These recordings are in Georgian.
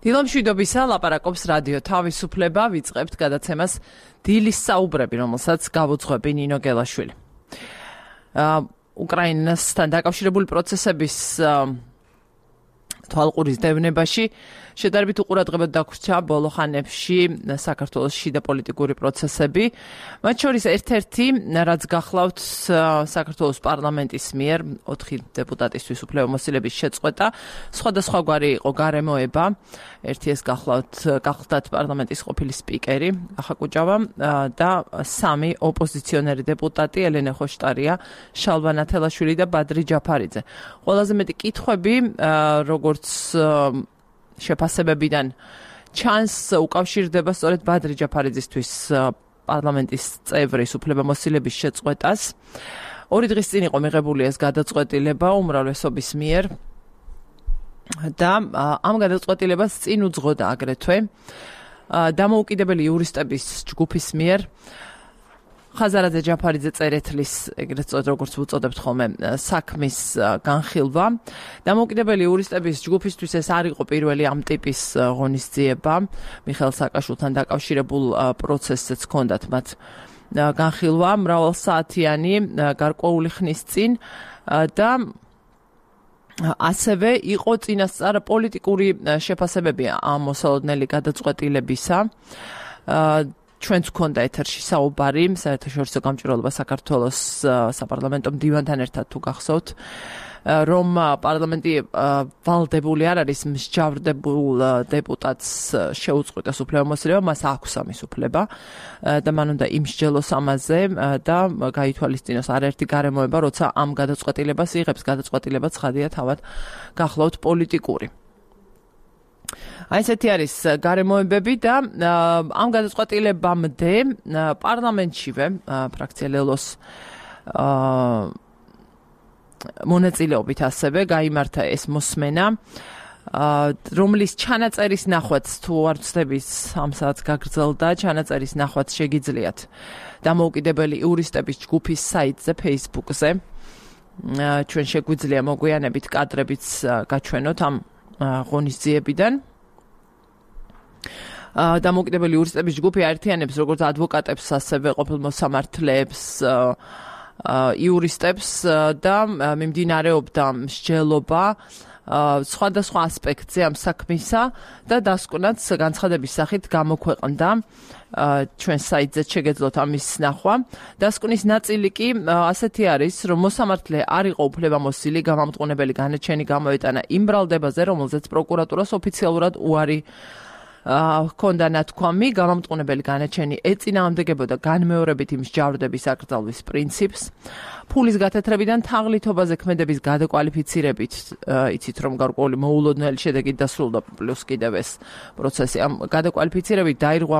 დილომშვიდობისა, ლაპარაკობს რადიო თავისუფლება, ვიწყებთ გადაცემას დილის საუბრები, რომელსაც გავუძღვები ნინო გელაშვილი. უკრაინასთან დაკავშირებული პროცესების თვალყურის დევნებაში შედარებით უყურადღებოდ დაგვრჩა ბოლო ხანებში საქართველოს შიდა პოლიტიკური პროცესები. მათ შორის ერთ-ერთი, რაც გახლავთ საქართველოს პარლამენტის მიერ 4 დეპუტატისთვის უფლებამოსილების შეწყვეტა, სხვადასხვაგვარი იყო გარემოება. ერთი ეს გახლავთ პარლამენტის ყოფილი სპიკერი ახა კუჭავა და 3 ოპოზიციონერი დეპუტატი ელენე ხოშტარია, შალვა ნათელაშვილი და ბადრი ჯაფარიძე. ყველაზე მეტი კითხვები, როგორც შეფასებებიდან ჩანს, უკავშირდება სწორედ ბადრი ჯაფარიძისთვის პარლამენტის წევრის უფლებამოსილების შეწყვეტას. 2 დღის წინ იყო მიღებული ეს გადაწყვეტილება უმრავლესობის მიერ და ამ გადაწყვეტილებას წინ უძღოდა აგრეთვე დამოუკიდებელი იურისტების ჯგუფის მიერ ხაზარაძე ჯაფარიძე წერეთლის, ეგრეთ წოდებით როგორც ვუწოდებთ ხოლმე, საქმის განხილვა. დამოუკიდებელი იურისტების ჯგუფისთვის ეს არ იყო პირველი ამ ტიპის ღონისძიება. მიხეილ სააკაშვილთან დაკავშირებულ პროცესზეც ჰქონდათ მათ განხილვა მრავალსაათიანი გარკვეული ხნის წინ და ასევე იყო წინასწარ პოლიტიკური შეფასებები ამ მოსალოდნელი გადაწყვეტილებისა. ჩვენც გქონდა ეთერში საუბარი საერთაშორისო გამჭვირვალობა საქართველოს საპარლამენტო მდივანთან ერთად თუ გახსოვთ, რომ პარლამენტი ვალდებული არ არის მსჯავრდებულ დეპუტატს შეუწყვეტოს უფლებამოსილება, მას აქვს ამის უფლება და მან უნდა იმსჯელოს ამაზე და გაითვალისწინოს არაერთი გარემოება, როცა ამ გადაწყვეტილებას იღებს. გადაწყვეტილება ცხადია თავად გახლავთ პოლიტიკური. ესეთი არის გარემოებები და ამ გადაწყვეტილებამდე პარლამენტშივე ფრაქცია ლელოს მონაწილეობით ასევე გაიმართა ეს მოსმენა, რომლის ჩანაწერის ნახვაც თუ არ ვცდებით ამ საათს გაგრძელდა, ჩანაწერის ნახვაც შეგიძლიათ დამოუკიდებელი იურისტების ჯგუფის საიტზე, Facebook-ზე. ჩვენ შეგვიძლია მოგვიანებით კადრებიც გაჩვენოთ ამ ღონისძიებიდან. დამოუკიდებელი იურისტების ჯგუფი აერთიანებს როგორც ადვოკატებს, ასევე ყოფილმოსამართლეებს, იურისტებს და მიმდინარეობდა მსჯელობა სხვადასხვა ასპექტზე ამ საქმისა და დასკვნაც განცხადების სახით გამოქვეყნდა. ჩვენ საიტზე შეგეძლოთ ამის ნახვა. დასკვნის ნაწილი კი ასეთი არის, რომ მოსამართლე არ იყო უფლებამოსილი გამამტყუნებელი განაჩენი გამოეტანა იმ ბრალდებაზე, რომელზეც პროკურატურას ოფიციალურად უარი ჰქონდა ნათქვამი. გამამტყუნებელი განაჩენი ეწინააღმდეგებოდა განმეორებითი მსჯავრდების აკრძალვის პრინციპს. ფულის გათეთრებიდან თაღლითობაზე ქმედების გადაკვალიფიცირებით, იცით რომ გარკვეული მოულოდნელი შედეგით დასრულდა პლუს კიდევ ეს პროცესი. ამ გადაკვალიფიცირებით დაირღვა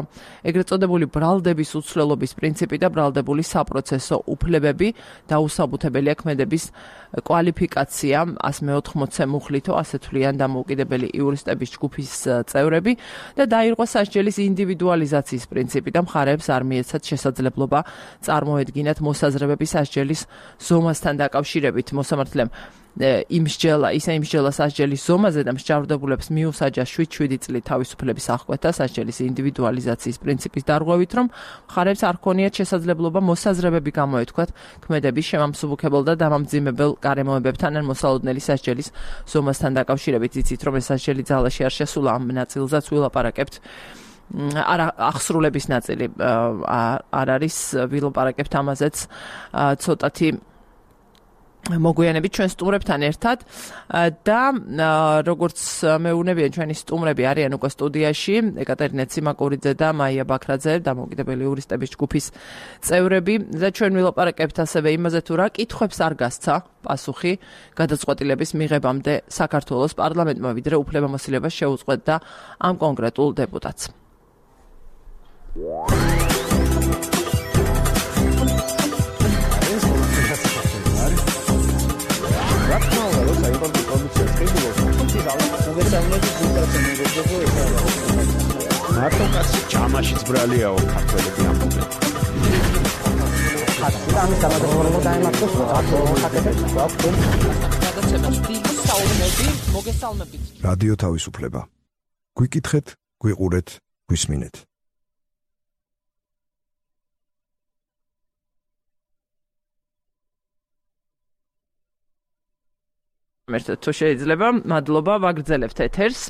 ეგრეთ წოდებული ბრალდების უცვლელობის პრინციპი და ბრალდებული საპროცესო უფლებები, დაუსაბუთებელია ქმედების კვალიფიკაცია 180-ე მუხლითო, ასე თვლიან დამოუკიდებელი იურისტების ჯგუფის წევრები და დაირღვა სასჯელის ინდივიდუალიზაციის პრინციპი და მხარეებს არ მიეცათ შესაძლებლობა წარმოედგინათ მოსაზრებები სასჯელის ზომასთან დაკავშირებით. მოსამართლემ იმსჯელა სასჯელის ზომაზე და მსჯავრდებულებს მიუსაჯა 7 წლით თავისუფლების აღკვეთა სასჯელის ინდივიდუალიზაციის პრინციპის დარღვევით, რომ მხარეებს არ ჰქონიათ შესაძლებლობა მოსაზრებები გამოეთქვათ ქმედების შემამსუბუქებელ და დამამძიმებელ გარემოებებთან ან მოსალოდნელი სასჯელის ზომასთან დაკავშირებით. იცით რომ ეს სასჯელი ძალაში არ შესულა, ამ ნაწილზეც ვილაპარაკებთ. აღსრულების ნაწილი არ არის, ვილაპარაკებთ ამაზეც ცოტათი მოგვიანებით ჩვენ სტუმრებთან ერთად და როგორც მეუბნებიან ჩვენი სტუმრები არიან უკვე სტუდიაში, ეკატერინე ციმაკურიძე და მაია ბაქრაძე, დამოუკიდებელი იურისტების ჯგუფის წევრები და ჩვენ ვილაპარაკებთ ასევე იმაზე თუ რა კითხვებს არ გასცა პასუხი გადაწყვეტილების მიღებამდე საქართველოს პარლამენტმა, ვიდრე უფლებამოსილებას შეუწყვეტდა ამ კონკრეტულ დეპუტატს. მარტო კაცი ჯამაშიც ბრალიაო ქართველები ამბობენ. ამის დამადროულობა დაემართოს ხაკეთებს გვაქვს. გადაცემას დილის საუბრები მოგესალმებით. რადიო თავისუფლება. გვიკითხეთ, გვიყურეთ, გვისმინეთ. მერტო თუ შეიძლება, მადლობა, ვაგრძელებთ ეთერს.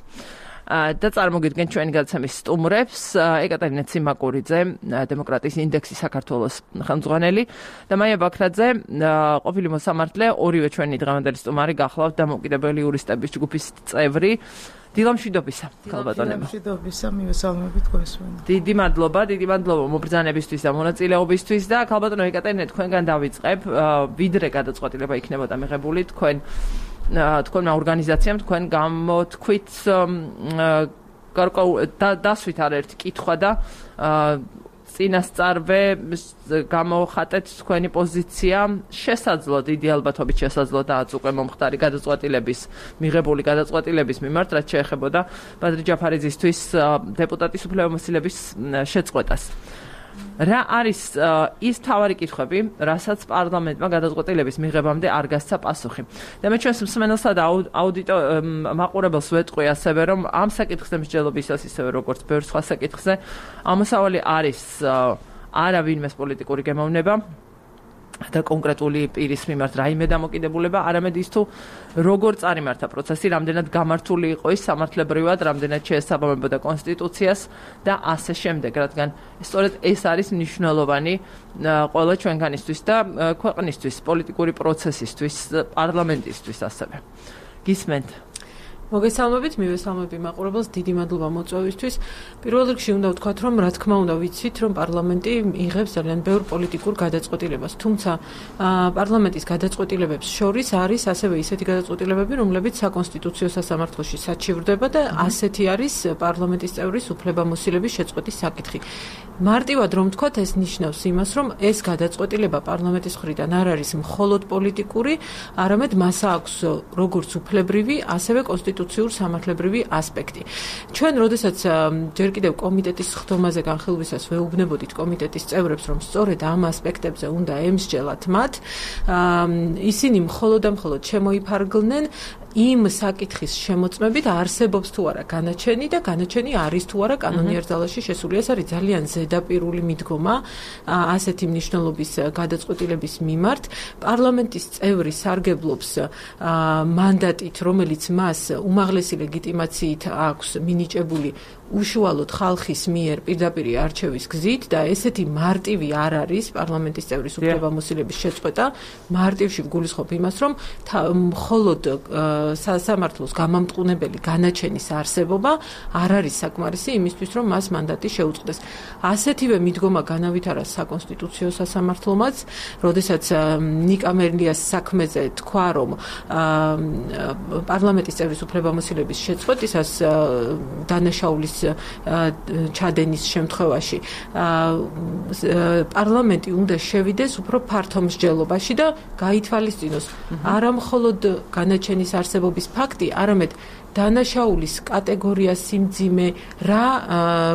და წარმოგიდგენ ჩვენი გადაცემის სტუმრებს, ეკატერინე ციმაკურიძე, დემოკრატიის ინდექსის საქართველოს ხელმძღვანელი და მაია ბაქრაძე, ყოფილი მოსამართლე, ორივე ჩვენი დღევანდელი სტუმარი გახლავთ დამოუკიდებელი იურისტების ჯგუფის წევრი. დილამშვიდობისა, ქალბატონებო. დილამშვიდობისა, მივესალმებით თქვენს. დიდი მადლობა მობრძანებისთვის და მონაწილეობისთვის და ქალბატონო ეკატერინე, თქვენგან დავიწყებ, ვიდრე გადაწყვეტილება იქნებოდა მიღებული თქვენმა ორგანიზაციამ, თქვენ გამოთქვით დასვით არაერთი კითხვა და წინასწარვე გამოხატეთ თქვენი პოზიცია შესაძლო, დიდი ალბათობით შესაძლო და უკვე მომხდარი მიღებული გადაწყვეტილების მიმართ, რაც შეეხებოდა ბადრი ჯაფარიძისთვის დეპუტატის უფლებამოსილების შეწყვეტას. რა არის ის მთავარი კითხვები, რასაც პარლამენტმა გადაწყვეტილების მიღებამდე არ გასცა პასუხი. და მე ჩვენს მსმენელსა და მაყურებელს ვეტყვი ასევე, რომ ამ საკითხზე მსჯელობისას ისევე როგორც ბევრ სხვა საკითხზე, ამოსავალი არის არა ვინმეს პოლიტიკური გემოვნება და კონკრეტული პირის მიმართ რაიმე დამოკიდებულება, არამედ ის თუ როგორ წარიმართა პროცესი, რამდენად გამართული იყო ის სამართლებრივად, რამდენად შეესაბამებოდა კონსტიტუციას და ასე შემდეგ, რადგან სწორედ ეს არის მნიშვნელოვანი ყველა ჩვენგანისთვის და ქვეყნისთვის, პოლიტიკური პროცესისთვის, პარლამენტისთვის ასევე. გისმენთ? მოგესალმებით, მივესალმები მაყურებელს, დიდი მადლობა მოწვევისთვის. პირველ რიგში უნდა ვთქვათ, რომ რა თქმა უნდა ვიცით, რომ პარლამენტი იღებს ძალიან ბევრ პოლიტიკურ გადაწყვეტილებას. თუმცა პარლამენტის გადაწყვეტილებებს შორის არის ასევე ისეთი გადაწყვეტილებები, რომლებიც საკონსტიტუციო სასამართლოში საჩივრდება და ასეთი არის პარლამენტის წევრის უფლებამოსილების შეწყვეტის საკითხი. მარტივად რომ ვთქვათ, ეს ნიშნავს იმას, რომ ეს გადაწყვეტილება პარლამენტის მხრიდან არ არის მხოლოდ პოლიტიკური, არამედ მას აქვს როგორც უფლებრივი, ასევე კონსტიტუციურ სამართლებრივი ასპექტი. ჩვენ, როდესაც ჯერ კიდევ კომიტეტის ხდომაზე განხილვისას ვეუბნებოდით კომიტეტის წევრებს, რომ სწორედ ამ ასპექტებზე უნდა ემსჯელათ მათ, ისინი მხოლოდ და მხოლოდ შემოიფარგლნენ იმ საკითხის შემოწმებით, არსებობს თუ არა განაჩენი და განაჩენი არის თუ არა კანონიერ ძალაში შესული. ეს არის ძალიან ზედაპირული მიდგომა ასეთი მნიშვნელობის გადაწყვეტილების მიმართ. პარლამენტის წევრი სარგებლობს მანდატით, რომელიც მას უმაღლესი ლეგიტიმაციით აქვს მინიჭებული უშუალოდ ხალხის მიერ პირდაპირ არჩევის გზით და ესეთი მარტივი არ არის პარლამენტის წევრის უფლებამოსილების შეწყვეტა. მარტივში ვგულისხმობ იმას, რომ მხოლოდ სასამართლოს გამამტყუნებელი განაჩენის არსებობა არ არის საკმარისი იმისთვის, რომ მას მანდატი შეუწყდეს. ასეთივე მიდგომა განავითარა საკონსტიტუციო სასამართლომაც, როდესაც ნიკა მერლიას საქმეზე თქვა, რომ პარლამენტის წევრის უფლებამოსილების შეწყვეტისას დანაშაულის ჩადენის შემთხვევაში პარლამენტი უნდა შევიდეს უფრო ფართო მსჯელობაში და გაითვალისწინოს არა მხოლოდ განაჩენის არსებობის ფაქტი, არამედ დანაშაულის კატეგორია, სიმძიმე, რა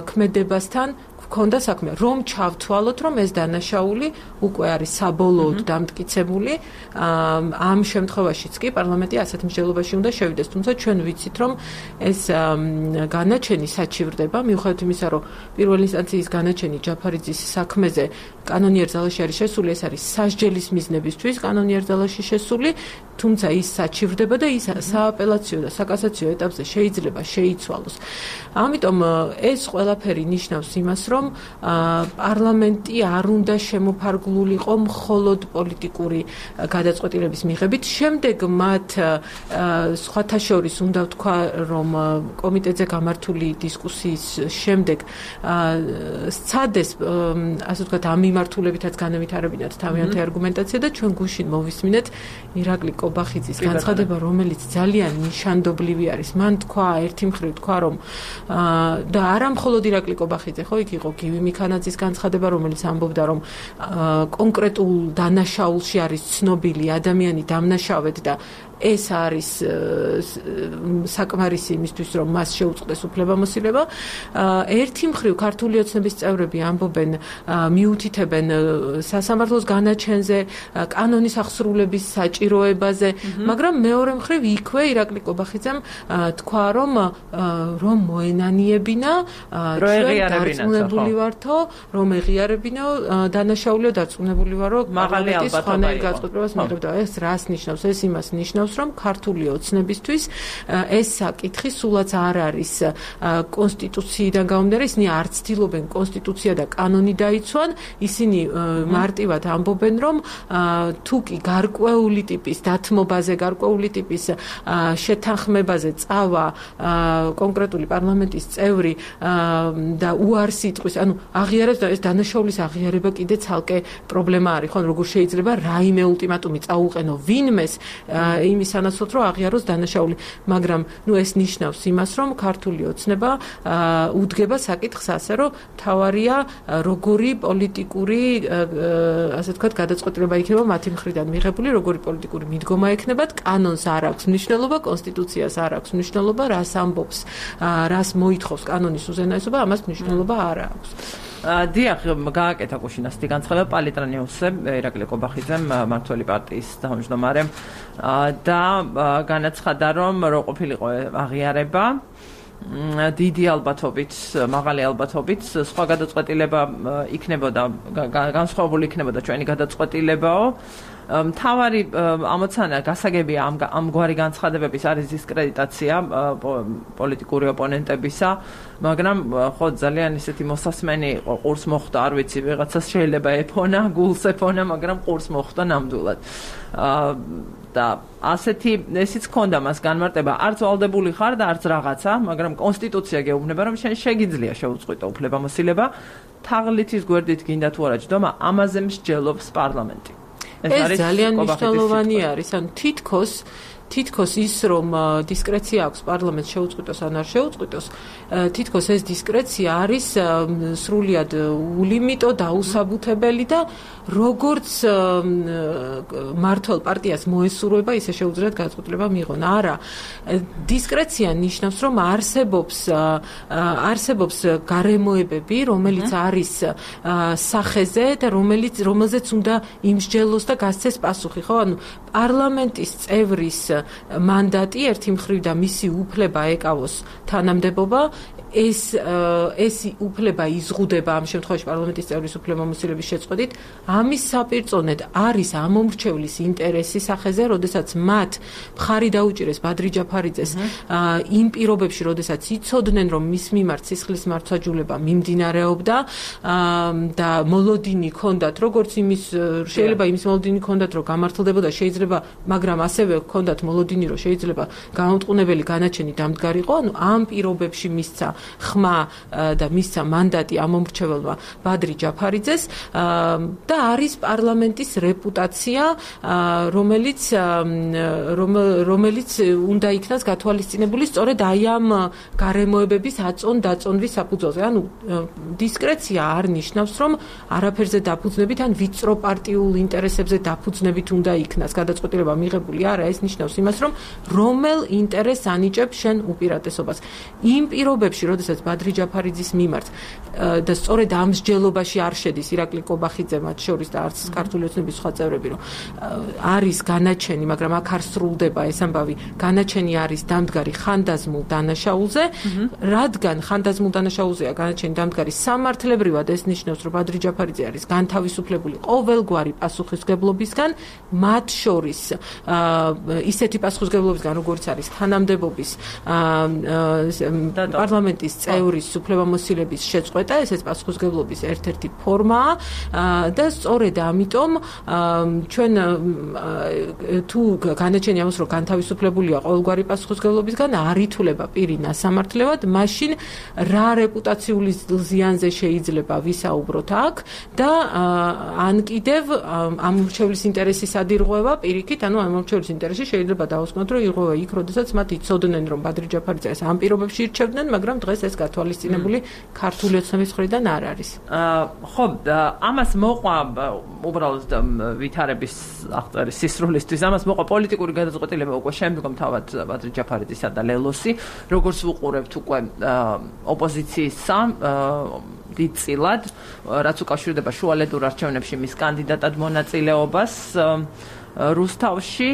ქმედებასთან ქონდა საქმე, რომ ჩავთვალოთ, რომ ეს დანაშაული უკვე არის საბოლოოდ დამტკიცებული. ამ შემთხვევაშიც კი პარლამენტი ასეთ მსჯელობაში უნდა შევიდეს. თუმცა ჩვენ ვიცით, რომ ეს განაჩენი საჩივრდება, მიუხედავად იმისა, რომ პირველი ინსტანციის განაჩენი ჯაფარიძის საქმეზე კანონიერ ძალაში არის შესული, ეს არის სასჯელის მიზნებისთვის კანონიერ ძალაში შესული, თუმცა ის საჩივრდება და ის სააპელაციო და საკასაციო ეტაპზე შეიძლება შეიცვალოს. ამიტომ ეს ყველაფერი ნიშნავს იმას, რომ პარლამენტი არ უნდა შემოფარგლულიყო მხოლოდ პოლიტიკური გადაწყვეტილების მიღებით. შემდეგ მათ სხვათა შორის უნდა ვთქვა, რომ კომიტეტზე გამართული დისკუსიის შემდეგ სცადეს, ასე ვთქვათ, ამ მიმართულებითაც განავითარებინათ თავიანთი არგუმენტაცია და ჩვენ გუშინ მოვისმინეთ ირაკლი კობახიძის განცხადება, რომელიც ძალიან ნიშანდობლივი არის. მან თქვა, ერთი მხრივ თქვა, რომ და არა მხოლოდ ირაკლი კობახიძე, ხო, იქ იყო გივი მიქანაძის განცხადება, რომელიც ამბობდა, რომ კონკრეტულ დანაშაულში არის ცნობილი ადამიანი დამნაშავედ და ეს არის საკმარისი იმისთვის, რომ მას შეუწყდეს უფლებამოსილება. ერთი მხრივ ქართული ოცნების წევრები ამბობენ, მიუთითებენ სასამართლოს განაჩენზე, კანონის აღსრულების საჭიროებაზე, მაგრამ მეორე მხრივ იქვე ირაკლი კობახიძემ თქვა, რომ მოენანიებინა, დარწმუნებული ვართო, რომ ეღიარებინო დანაშაულიო, დარწმუნებული ვარო, მაღალი სხვანაირ გადაწყვეტილებას მიიღებდა. ეს რას ნიშნავს? ეს იმას ნიშნავს, რომ ქართული ოცნებისთვის ეს საკითხი სულაც არ არის კონსტიტუციიდან გამომდინარე, ისინი არ ცდილობენ კონსტიტუცია და კანონი დაიცვან, ისინი მარტივად ამბობენ, რომ თუ კი გარკვეული ტიპის დათმობაზე, გარკვეული ტიპის შეთანხმებაზე წავა კონკრეტული პარლამენტის წევრი და უარს იტყვის, ანუ აღიარებს და ეს დანაშაულის აღიარება კიდე ცალკე პრობლემა არის, ხო, როგორ შეიძლება რაიმე ულტიმატუმი წაუყენო ვინმეს იმის სანაცვლოდ, რომ აღიაროს დანაშაული, მაგრამ ეს ნიშნავს იმას, რომ ქართული ოცნება უდგება საკითხს ასე, რომ თავარია როგორი პოლიტიკური, ასე ვთქვათ, გადაწყვეტილება იქნება მათი მხრიდან მიღებული, როგორი პოლიტიკური მიდგომა ექნებათ, კანონს არ აქვს მნიშვნელობა, კონსტიტუციას არ აქვს მნიშვნელობა, რას ამბობს, რას მოითხოვს კანონის უზენაესობა, ამას მნიშვნელობა არ აქვს. დიახ, გააკეთა კუშინასტი განცხადება პალიტრანიუსზე, ირაკლი კობახიძემ, მმართველი პარტიის თავმჯდომარემ და განაცხადა, რომ რო ყოფილიყო აღიარება დიდი ალბათობით, მაღალი ალბათობით, სხვა გადაწყვეტილება იქნებოდა, განსხვავებული იქნებოდა ჩვენი გადაწყვეტილებაო. მთავარი ამოცანა გასაგებია ამგვარი განცხადებების არის დისკრედიტაცია პოლიტიკური ოპონენტებისა, მაგრამ ხო ძალიან ისეთი მოსასმენი ყურს მოხვდა, არ ვიცი, ვიღაცას შეიძლება ეფონა, გულს ეფონა, მაგრამ ყურს მოხვდა ნამდვილად. და ასეთი ესიც ქონდა მას განმარტება, არც ვალდებული ხარ და არც რაღაცა, მაგრამ კონსტიტუცია გეუბნება, რომ შენ შეგიძლია შეუწყვეტო უფლებამოსილება, თაღლითის გვერდით გინდა თუ არა ჯდომა, ამაზე მსჯელობს პარლამენტი. ეს ძალიან მნიშვნელოვანი არის, ანუ თითქოს ის, რომ დისკრეცია აქვს პარლამენტს შეუწყვეტოს ან არ შეუწყვეტოს, თითქოს ეს დისკრეცია არის სრულიად ულიმიტო, დაუსაბუთებელი და როგორც მმართველ პარტიას მოესურვება, ისე შეუძლიათ გადაწყვეტილება მიიღონ. არა, დისკრეცია ნიშნავს, რომ არსებობს გარემოებები, რომელიც არის სახეზე და რომელზეც უნდა იმსჯელოს და გასცეს პასუხი, ხო? ანუ პარლამენტის წევრის მანდატი ერთი მხრივ და მისი უფლება ეკავოს თანამდებობა, ეს უფლება იზღუდება ამ შემთხვევაში პარლამენტის წევრის უფლებამოსილების შეწყვეტით, ამის საპირწონედ არის ამომრჩევლის ინტერესი სახეზე, როდესაც მათ მხარი დაუჭირეს ბადრი ჯაფარიძეს იმ პირობებში, როდესაც იცოდნენ, რომ მის მიმართ სისხლის მართვაჯულება მიმდინარეობდა და მოლოდინი ჰქონდათ, როგორც შეიძლება იმის მოლოდინი ჰქონდათ, რომ გამართლდებოდა, შეიძლება, მაგრამ ასევე ჰქონდათ მოლოდინი, რომ შეიძლება გამომტყუნებელი განაჩენი დამდგარიყო, ანუ ამ პირობებში მისცა ხმა და მისცა მანდატი ამომრჩეველმა ბადრი ჯაფარიძეს და არის პარლამენტის რეპუტაცია, რომელიც უნდა იქნას გათვალისწინებული სწორედ აი ამ გარემოებების აწონ-დაწონვის საფუძველზე. ანუ დისკრეცია არ ნიშნავს, რომ არაფერზე დაფუძნებით ან ვიწრო პარტიულ ინტერესებზე დაფუძნებით უნდა იქნას გადაწყვეტილება მიღებული. არა, ეს ნიშნავს იმას, რომ რომელ ინტერესს ანიჭებს შენ უპირატესობას. იმ პირობებში, როდესაც ბადრი ჯაფარიძის მიმართ და სწორედ ამ მსჯელობაში არ შედის ირაკლი კობახიძე მათ შორის და არც ქართული ოცნების სხვა წევრები, რომ არის განაჩენი, მაგრამ აქ არ სრულდება ეს ამბავი, განაჩენი არის დამდგარი ხანდაზმულ დანაშაულზე, რადგან ხანდაზმულ დანაშაულზეა განაჩენი დამდგარი სამართლებრივად, ეს ნიშნავს, რომ ბადრი ჯაფარიძე არის განთავისუფლებული ყოველგვარი პასუხისმგებლობისგან, მათ შორის ისეთი პასუხისმგებლობისგან, როგორც არის თანამდებობის პარლამენტის წევრის უფლებამოსილების შეწყვეტა, ესეც პასუხისმგებლობის ერთ-ერთი ფორმაა და სწორედ ამიტომ ჩვენ თუ განაჩენი ამას, რომ განთავისუფლებულია ყოველგვარი პასუხისმგებლობისგან, არ ითვლება პირი ნასამართლებლად, მაშინ რა რეპუტაციული ზიანზე შეიძლება ვისაუბროთ აქ და ან კიდევ ამომრჩევლის ინტერესის ადირღვევა პირიქით, ანუ ამომრჩევლის ინტერესი შეიძლება დავუსკვნოთ, რომ ირღვევა იქ, როდესაც მათ იცოდნენ, რომ ბადრი ჯაფარიძეს ამ პირობებში ირჩევდნენ, მაგრამ დღეს ეს გათვალისწინებული ქართული ოცნების მხრიდან არ არის. ხო, ამას მოყვა უბრალოდ ვითარების აღწერის სისრულისთვის, ამას მოყვა პოლიტიკური გადაწყვეტილება უკვე შემდგომ თავად ბადრი ჯაფარიძისა და ლელოსი, როგორც ვუყურებთ უკვე ოპოზიციისა დიდწილად, რაც უკავშირდება შუალედურ არჩევნებში მის კანდიდატად მონაწილეობას რუსთავში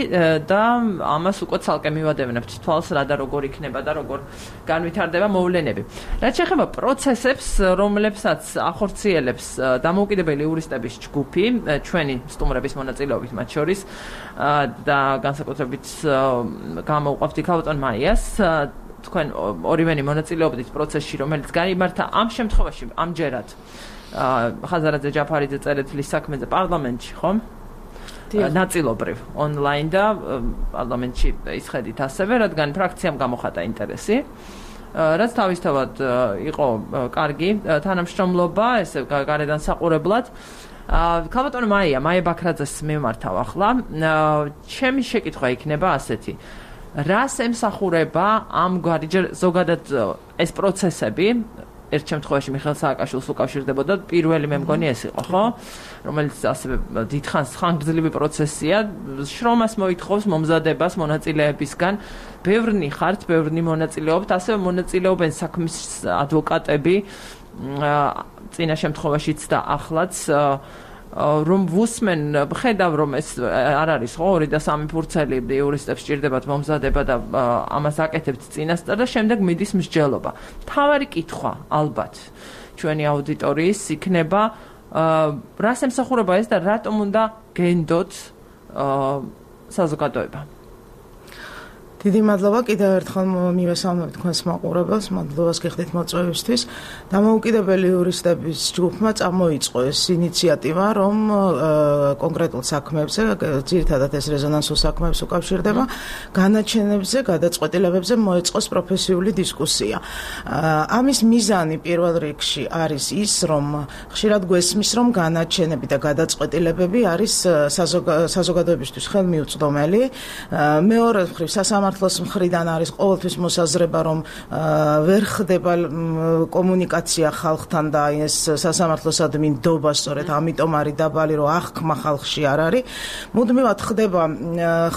და ამას უკვე ცალკე მივადევნებთ თვალს რა და როგორ იქნება და როგორ განვითარდება მოვლენები. რაც შეეხება პროცესებს, რომლებსაც ახორციელებს დამოუკიდებელი იურისტების ჯგუფი, ჩვენი სტუმრების მონაწილეობით მათ შორის და განსაკუთრებით გამოვყვავთ ქალბატონ მაიას, თქვენ ორივენი მონაწილეობდით პროცესში, რომელიც გაიმართა ამ შემთხვევაში ამჯერად ხაზარაძე ჯაფარიძე წერეთლის საქმეზე პარლამენტში, ხო? ნაწილობრივ ონლაინ და პარლამენტში ისხედით ასევე, რადგან ფრაქციამ გამოხატა ინტერესი, რაც თავისთავად იყო კარგი თანამშრომლობა, ესე გარედან საყურებლად. ქალბატონ მაია ბაქრაძეს მივმართავ ახლა. ჩემი შეკითხვა იქნება ასეთი. რას ემსახურება ამგვარი ზოგადად ეს პროცესები? ერთ შემთხვევაში მიხეილ სააკაშვილს უკავშირდებოდა პირველი მე მგონი ეს იყო, ხო? რომელიც ასევე დიდხანს ხანგრძლივი პროცესია, შრომას მოითხოვს მომზადებას მონაწილეებისგან. ბევრნი ხართ, ბევრნი მონაწილეობთ, ასევე მონაწილეობენ საქმის ადვოკატები წინა შემთხვევაშიც და ახლაც რომ ვუსმენ, ხედავ რომ ეს არ არის ხო 2 და 3 ფურცელი იურისტებს სჭირდებათ მომზადება და ამას აკეთებთ წინასწარ და შემდეგ მიდის მსჯელობა. თავარი კითხვა ალბათ ჩვენი აუდიტორიის იქნება რას ემსახურება ეს და რატომ უნდა გენდოთ საზოგადოება? დიდი მადლობა კიდევ ერთხელ მივესალმებ თქვენს მაყურებელს, მადლობას გიხდით მოწვევისთვის. დამოუკიდებელი იურისტების ჯგუფმა წამოიწყო ეს ინიციატივა, რომ კონკრეტულ საქმეებზე, ძირითადად ეს რეზონანსულ საქმეებს უკავშირდება, განაჩენებზე, გადაწყვეტილებებზე მოეწყოს პროფესიული დისკუსია. ამის მიზანი პირველ რიგში არის ის, რომ ხშირად გვესმის, რომ განაჩენები და გადაწყვეტილებები არის საზოგადოებისთვის ხელმიუწვდომელი. მეორე მხრივ სამართლოს მხრიდან არის ყოველთვის მოსაზრება, რომ ვერ ხდება კომუნიკაცია ხალხთან და ეს სასამართლოსადმი ნდობა სწორედ ამიტომ არის დაბალი, რომ აღქმა ხალხში არ არის. მუდმივად ხდება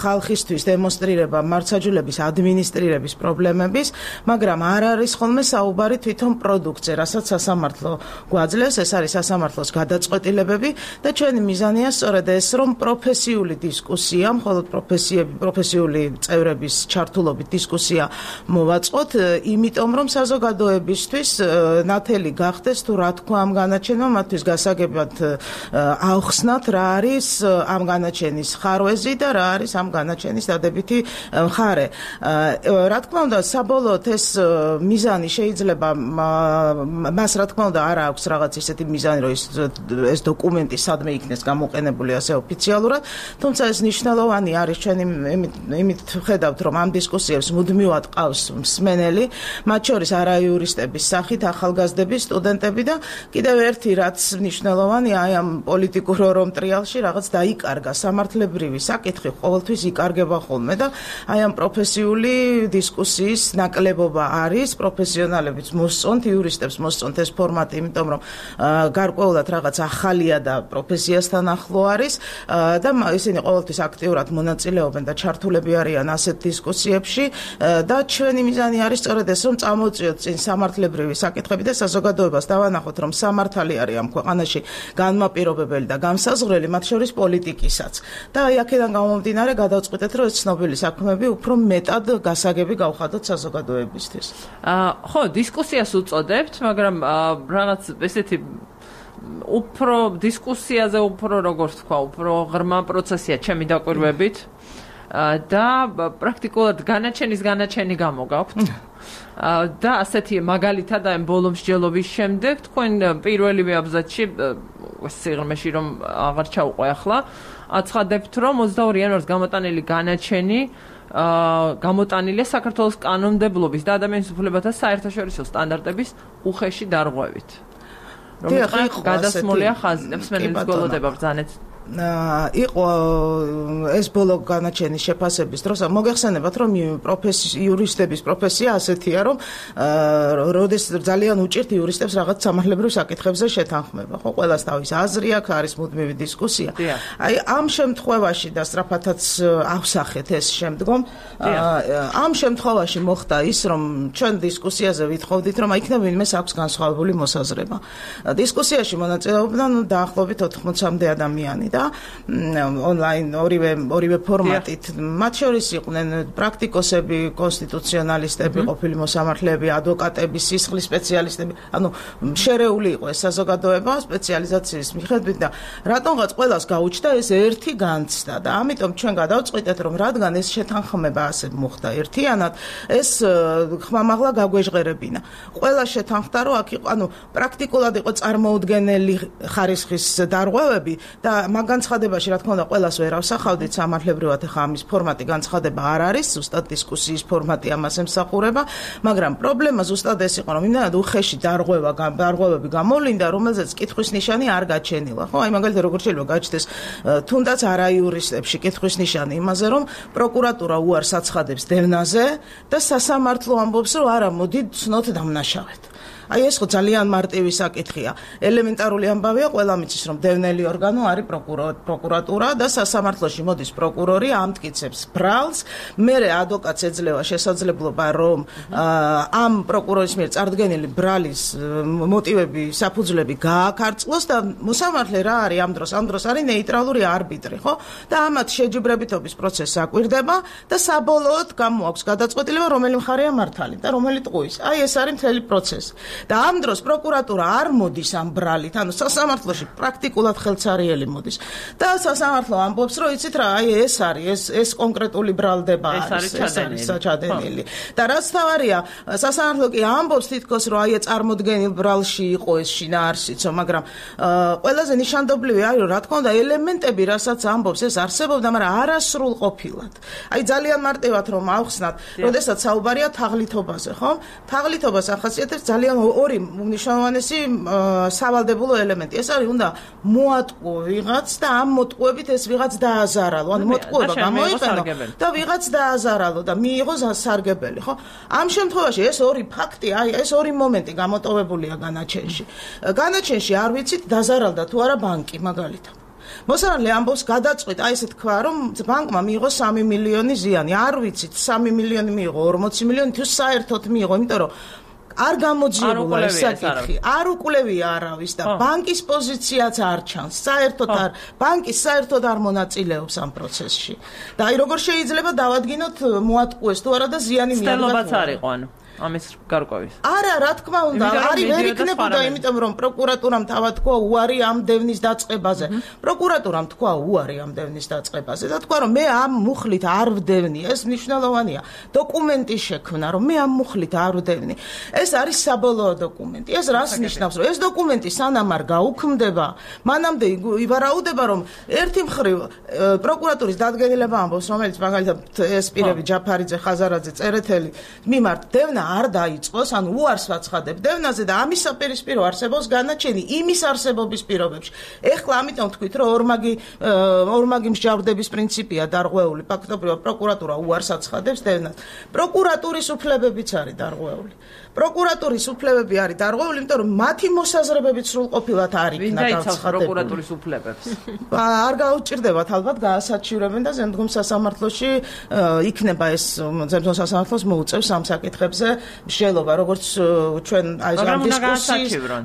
ხალხისთვის დემონსტრირება მართლმსაჯულების ადმინისტრირების პრობლემების, მაგრამ არ არის ხოლმე საუბარი თვითონ პროდუქტზე, რასაც სასამართლო გვაძლევს, ეს არის სასამართლოს გადაწყვეტილებები და ჩვენი მიზანია სწორედ ეს, რომ პროფესიული დისკუსია, მხოლოდ პროფესიული წევრების ჩართულობით დისკუსია მოვაწყოთ, იმიტომ რომ საზოგადოებისთვის ნათელი გახდეს თუ რა თქვა ამ განაჩენმა, მათთვის გასაგებად აუხსნათ რა არის ამ განაჩენის ხარვეზი და რა არის ამ განაჩენის დადებითი მხარე. რა თქმა უნდა, საბოლოოდ ეს მიზანი შეიძლება მას რა თქმა უნდა არ აქვს რაღაც ისეთი მიზანი, რომ ეს დოკუმენტი სადმე იქნეს გამოყენებული ასე ოფიციალურად, თუმცა ეს მნიშვნელოვანი არის ჩვენი იმით ხედავთ, რომ ამ დისკუსიებს მუდმივად ყავს მსმენელი, მათ შორის არაიურისტების სახით ახალგაზრდები, სტუდენტები და კიდევ ერთი რაც მნიშვნელოვანია, აი ამ პოლიტიკურ ორომ ტრიალში რაღაც დაიკარგა სამართლებრივი საკითხი ყოველთვის იკარგება ხოლმე და აი ამ პროფესიული დისკუსიის ნაკლებობა არის, პროფესიონალებიც მოსწონთ, იურისტებს მოსწონთ ეს ფორმატი, იმიტომ რომ გარკვეულად რაღაც ახალია და პროფესიასთან ახლო არის და ისინი ყოველთვის აქტიურად მონაწილეობენ და ჩართულები არიან ასეთ დისკუსიებში და ჩვენი მიზანი არის სწორედ ეს, რომ წამოწიოთ წინ სამართლებრივი საკითხები და საზოგადოებას დავანახოთ, რომ სამართალი არის ამ ქვეყანაში განმაპირობებელი და განსაზღვრელი, მათ შორის პოლიტიკისაც. და აი აქედან გამომდინარე გადავწყვიტეთ, რომ ეს ცნობილი საქმეები უფრო მეტად გასაგები გავხადოთ საზოგადოებისთვის. ხო, დისკუსიას უწოდებთ, მაგრამ რაღაც ესეთი უფრო დისკუსიაზე უფრო როგორ თქვა, უფრო ღრმა პროცესია ჩემი დაკვირვებით. და პრაქტიკულად განაჩენი გამოგაქვთ. და ასეთი მაგალითად ამ ბოლო მსჯელობის შემდეგ თქვენ პირველივე აბზაცში სიღრმეში რომ აღარ ჩაუყვე ახლა აცხადებთ, რომ 22 იანვარს გამოტანილი განაჩენი გამოტანილია საქართველოს კანონმდებლობის და ადამიანის უფლებათა საერთაშორისო სტანდარტების უხეში დარღვევით. რომ გადასმულია ხაზი, მსმენელის გველოდება ბრძანეთ. იყო ეს ბოლო განაჩენის შეფასების დროს მოგეხსენებათ რომ იურისტების პროფესია ასეთია რომ როდეს ძალიან უჭირთ იურისტებს რაღაც სამართლებრივ საკითხებზე შეთანხმება ხო ყველას თავის აზრი აქვს არის მუდმივი დისკუსია აი ამ შემთხვევაში და სწრაფადაც ავსახეთ ეს შემდგომ ამ შემთხვევაში მოხდა ის რომ ჩვენ დისკუსიაზე ვითხოვდით რომ იქნებ ვინმეს აქვს განსხვავებული მოსაზრება დისკუსიაში მონაწილეობდნენ დაახლოებით 80-მდე ადამიანი და ონლაინ ორივე ფორმატით მათ შორის იყვნენ პრაქტიკოსები, კონსტიტუციონალისტები, ყოფილი მოსამართლეები, ადვოკატები, სისხლის სპეციალისტები, ანუ შერეული იყო ეს საზოგადოება სპეციალიზაციის მიხედვით და რატომღაც ყველას გაუჩნდა ეს ერთი განცდა და ამიტომ ჩვენ გადავწყვიტეთ რომ რადგან ეს შეთანხმება ასე მოხდა ერთიანად ეს ხმამაღლა გაგვეჟღერებინა. ყველა შეთანხმდა რომ აქ იყო ანუ პრაქტიკულად იყო წარმოუდგენელი ხარისხის დარღვევები და მაგ განცხადებაში რა თქმა უნდა ყველას ვერ ავსახავდით სამართლებრივად ახლა ამის ფორმატი განცხადება არ არის ზუსტად დისკუსიის ფორმატი ამას ემსახურება მაგრამ პრობლემა ზუსტად ეს იყო რომ იმდანად უხეში დარღვევები გამოვლინდა რომელზეც კითხვის ნიშანი არ გაჩენილა ხო აი მაგალითად როგორ შეიძლება გაჩნდეს თუნდაც არაიურისტებში კითხვის ნიშანი იმაზე რომ პროკურატურა უარს აცხადებს დევნაზე და სასამართლო ამბობს რომ არა მოდი ცნოთ დამნაშავედ აი ეს ხო ძალიან მარტივი საკითხია. ელემენტარული ამბავია, ყველა მიცის რომ დევნელი ორგანო არის პროკურატურა და სასამართლოში მოდის პროკურორი ამტკიცებს ბრალს, მერე ადვოკატს ეძლევა შესაძლებლობა რომ ამ პროკურორის მიერ წარდგენილი ბრალის მოტივები, საფუძვლები გააქარწყლოს და მოსამართლე რა არის ამ დროს არის ნეიტრალური არბიტრი, ხო? და ამათ შეჯიბრებითობის პროცესს აკვირდება და საბოლოოდ გამოაქვს გადაწყვეტილება რომელი მხარეა მართალი და რომელი ტყუის. აი ეს არის მთელი პროცესი. და ამ დროს პროკურატურა არ მოდის ამ ბრალით, ანუ სასამართლოში პრაქტიკულად ხელცარიელი მოდის. და სასამართლო ამბობს, რომ იცით რა, აი ეს არის, ეს კონკრეტული ბრალდება არის, ეს არის საჩადენილი. და რაც თავარია, სასამართლო კი ამბობს თითქოს, რომ აი წარმოდგენილ ბრალში იყო ეს შინაარსიცო, მაგრამ ყველაზე ნიშანდობლივი არის, რომ რა თქმა უნდა, ელემენტები, რასაც ამბობს, ეს არსებობდა, მაგრამ არასრულყოფილად. აი ძალიან მარტივად რომ ავხსნათ, როდესაც საუბარია თაღლითობაზე, ხო? თაღლითობას ახასიათებს ძალიან ორი მნიშვნელოვანი სავალდებულო ელემენტი. ეს არის უნდა მოატყუო ვიღაც და ამ მოტყუებით ეს ვიღაც დააზარალო. ანუ მოტყუება გამოიყენო და ვიღაც დააზარალო და მიიღო სარგებელი, ხო? ამ შემთხვევაში ეს ორი ფაქტი, აი ეს ორი მომენტი გამოტოვებულია განაჩენში. განაჩენში არ ვიცით დაზარალდა თუ არა ბანკი მაგალითად. მოსამართლე ამბობს გადაწყვეტ, აი ესე თქვა, რომ ბანკმა მიიღო 3 მილიონი ზიანი. არ ვიცით 3 მილიონი მიიღო, 40 მილიონი თუ საერთოდ მიიღო, იმიტომ რომ არ გამოძიებულა ეს საკითხი, არ უკვლევია არავის და ბანკის პოზიციაც არ ჩანს. საერთოდ არ ბანკი საერთოდ არ მონაწილეობს ამ პროცესში. და აი როგორ შეიძლება დავადგინოთ მოატყუეს თუ არა და ზიანი მიიღო. სტელობაც არ იყო ანუ ამის გარკვევის. არა, რა თქმა უნდა, არის ვერ იქნებოდა, იმიტომ რომ პროკურატურამ თავად თქვა უარი ამ დევნის დაწყებაზე. პროკურატურამ თქვა უარი ამ დევნის დაწყებაზე და თქვა რომ მე ამ მუხლით არ ვდევნი, ეს მნიშვნელოვანია. დოკუმენტი შექმნა, რომ მე ამ მუხლით არ ვდევნი. ეს არის საბოლოო დოკუმენტი. ეს რას ნიშნავს, რომ ეს დოკუმენტი სანამ არ გაუქმდება, მანამდე ივარაუდება, რომ ერთი მხრივ პროკურატურის დადგენილება ამბობს, რომელიც მაგალითად ეს პირები ჯაფარიძე, ხაზარაძე, წერეთელი მიმართ დევნა არ დაიწყოს, ანუ უარს ვაცხადებ დევნაზე და ამის საპირისპირო არსებობს განაჩენი იმის არსებობის პირობებში. ეხლა ამიტომ თქვით, რომ ორმაგი მსჯავრდების პრინციპია დარღვეული. ფაქტობრივად პროკურატურა უარს აცხადებს დევნას. პროკურატურის უფლებებიც არის დარღვეული. პროკურატურის უფლებები არის დარღვეული, იმიტომ რომ მათი მოსაზრებებით სრულყოფილად არ იქნა გაცხადებული. პროკურატურის უფლებებს. არ გაუჭირდებათ ალბათ გაასაჩივრებენ და ზემდგომ სასამართლოში იქნება ეს ზემდგომ სასამართლოს მოუწევს ამ საკითხებზე მსჯელობა, როგორც ჩვენ აი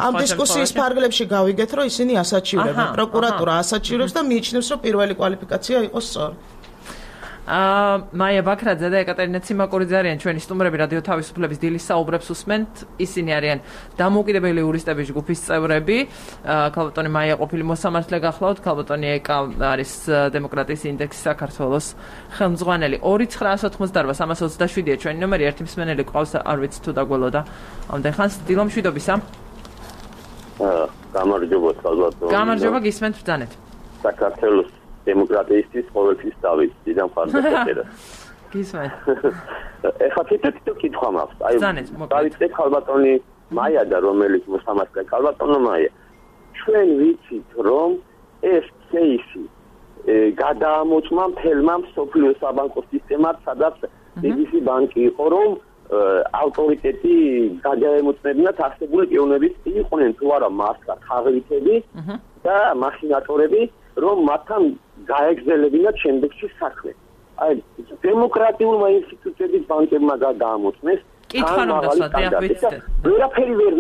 ამ დისკუსიის ფარგლებში გავიგეთ, რომ ისინი ასაჩივრებენ. პროკურატურა ასაჩივრებს და მიიჩნევს, რომ პირველი კვალიფიკაცია იყოს სწორი. მაია ბაქრაძე და ეკატერინე ციმაკურიძე არიან ჩვენი სტუმრები რადიო თავისუფლების დილის საუბრებს უსმენთ. ისინი არიან დამოუკიდებელი იურისტების ჯგუფის წევრები. ქალბატონი მაია ყოფილი მოსამართლე გახლავთ, ქალბატონი ეკა არის დემოკრატიის ინდექსის საქართველოს ხელმძღვანელი. 2988327-ია ჩვენი ნომერი, ერთი მსმენელი ყავს, არ ვიცი თუ დაგველოდა. ამდენ ხანს დილო მშვიდობისა. გამარჯობა ქალბატონი. გამარჯობა, გისმენთ ბრძანეთ. საქართველოს დემოკრატიისთვის ყოველთვის დავით დიდამ ხარდაჭერა. გისმენთ. ეხლა თითო კითხვა მაქვს. აი დავით ქალბატონი მაია და რომელიც მოსამართლე ქალბატონო მაია. ჩვენ ვიცით რომ ეს кейსი გადაამოწმა მთელმა მსოფლიო საბანკო სისტემად, სადაც BBC ბანკი იყო, რომ ავტორიტეტი გადაემოწმებინათ არსებული პიროვნების იყვნენ თუ არა მართლა თაღლითები და მახინატორები, რომ მათთან გაეგზელებინათ შემდეგში საქმე. აი, დემოკრატიულმა ინსტიტუტების ბანკებმა გადაამოწმეს. კითხვა რომ დასვათ, ვერაფერი ვერ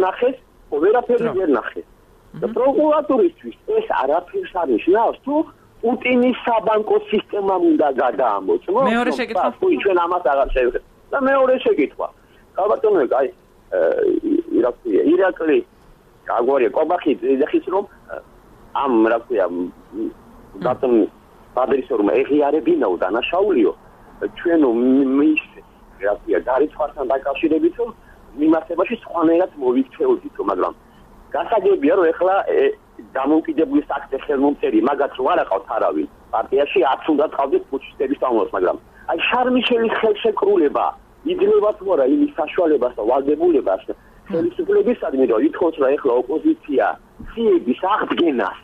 ნახეს. და პროკურატურისთვის ეს არაფერს არ ნიშნავს, თუ პუტინის საბანკო სისტემამ უნდა გადაამოწმოს. მეორე შეკითხვა. თუ ჩვენ ამას აღარ შევხედავთ. და მეორე შეკითხვა. ალბათონო, აი, ირაკლი გაგვარია კობახიძე ეხის რომ ამ რა ქვია ბატონ ბადრის რომ ეღიარებინაო დანაშაულიო ჩვენო მის რა ქვია გარიცხვასთან დაკავშირებით რომ მიმართებაში სხვანაირად მოვიქცეოდითო, მაგრამ გასაგებია რომ ეხლა დამოუკიდებლობის აქტი ხელმომწერი მაგაც რო არ აყავთ არავინ პარტიაში 10 უნდა ყავდეთ პუჩისტების თამოს, მაგრამ აი შარმიშელის ხელშეკრულება იძლევა თუ არა იმის საშუალებას და ვალდებულებას ხელისუფლებისადმი რომ ითხოვს რა ეხლა ოპოზიცია ციების აღდგენას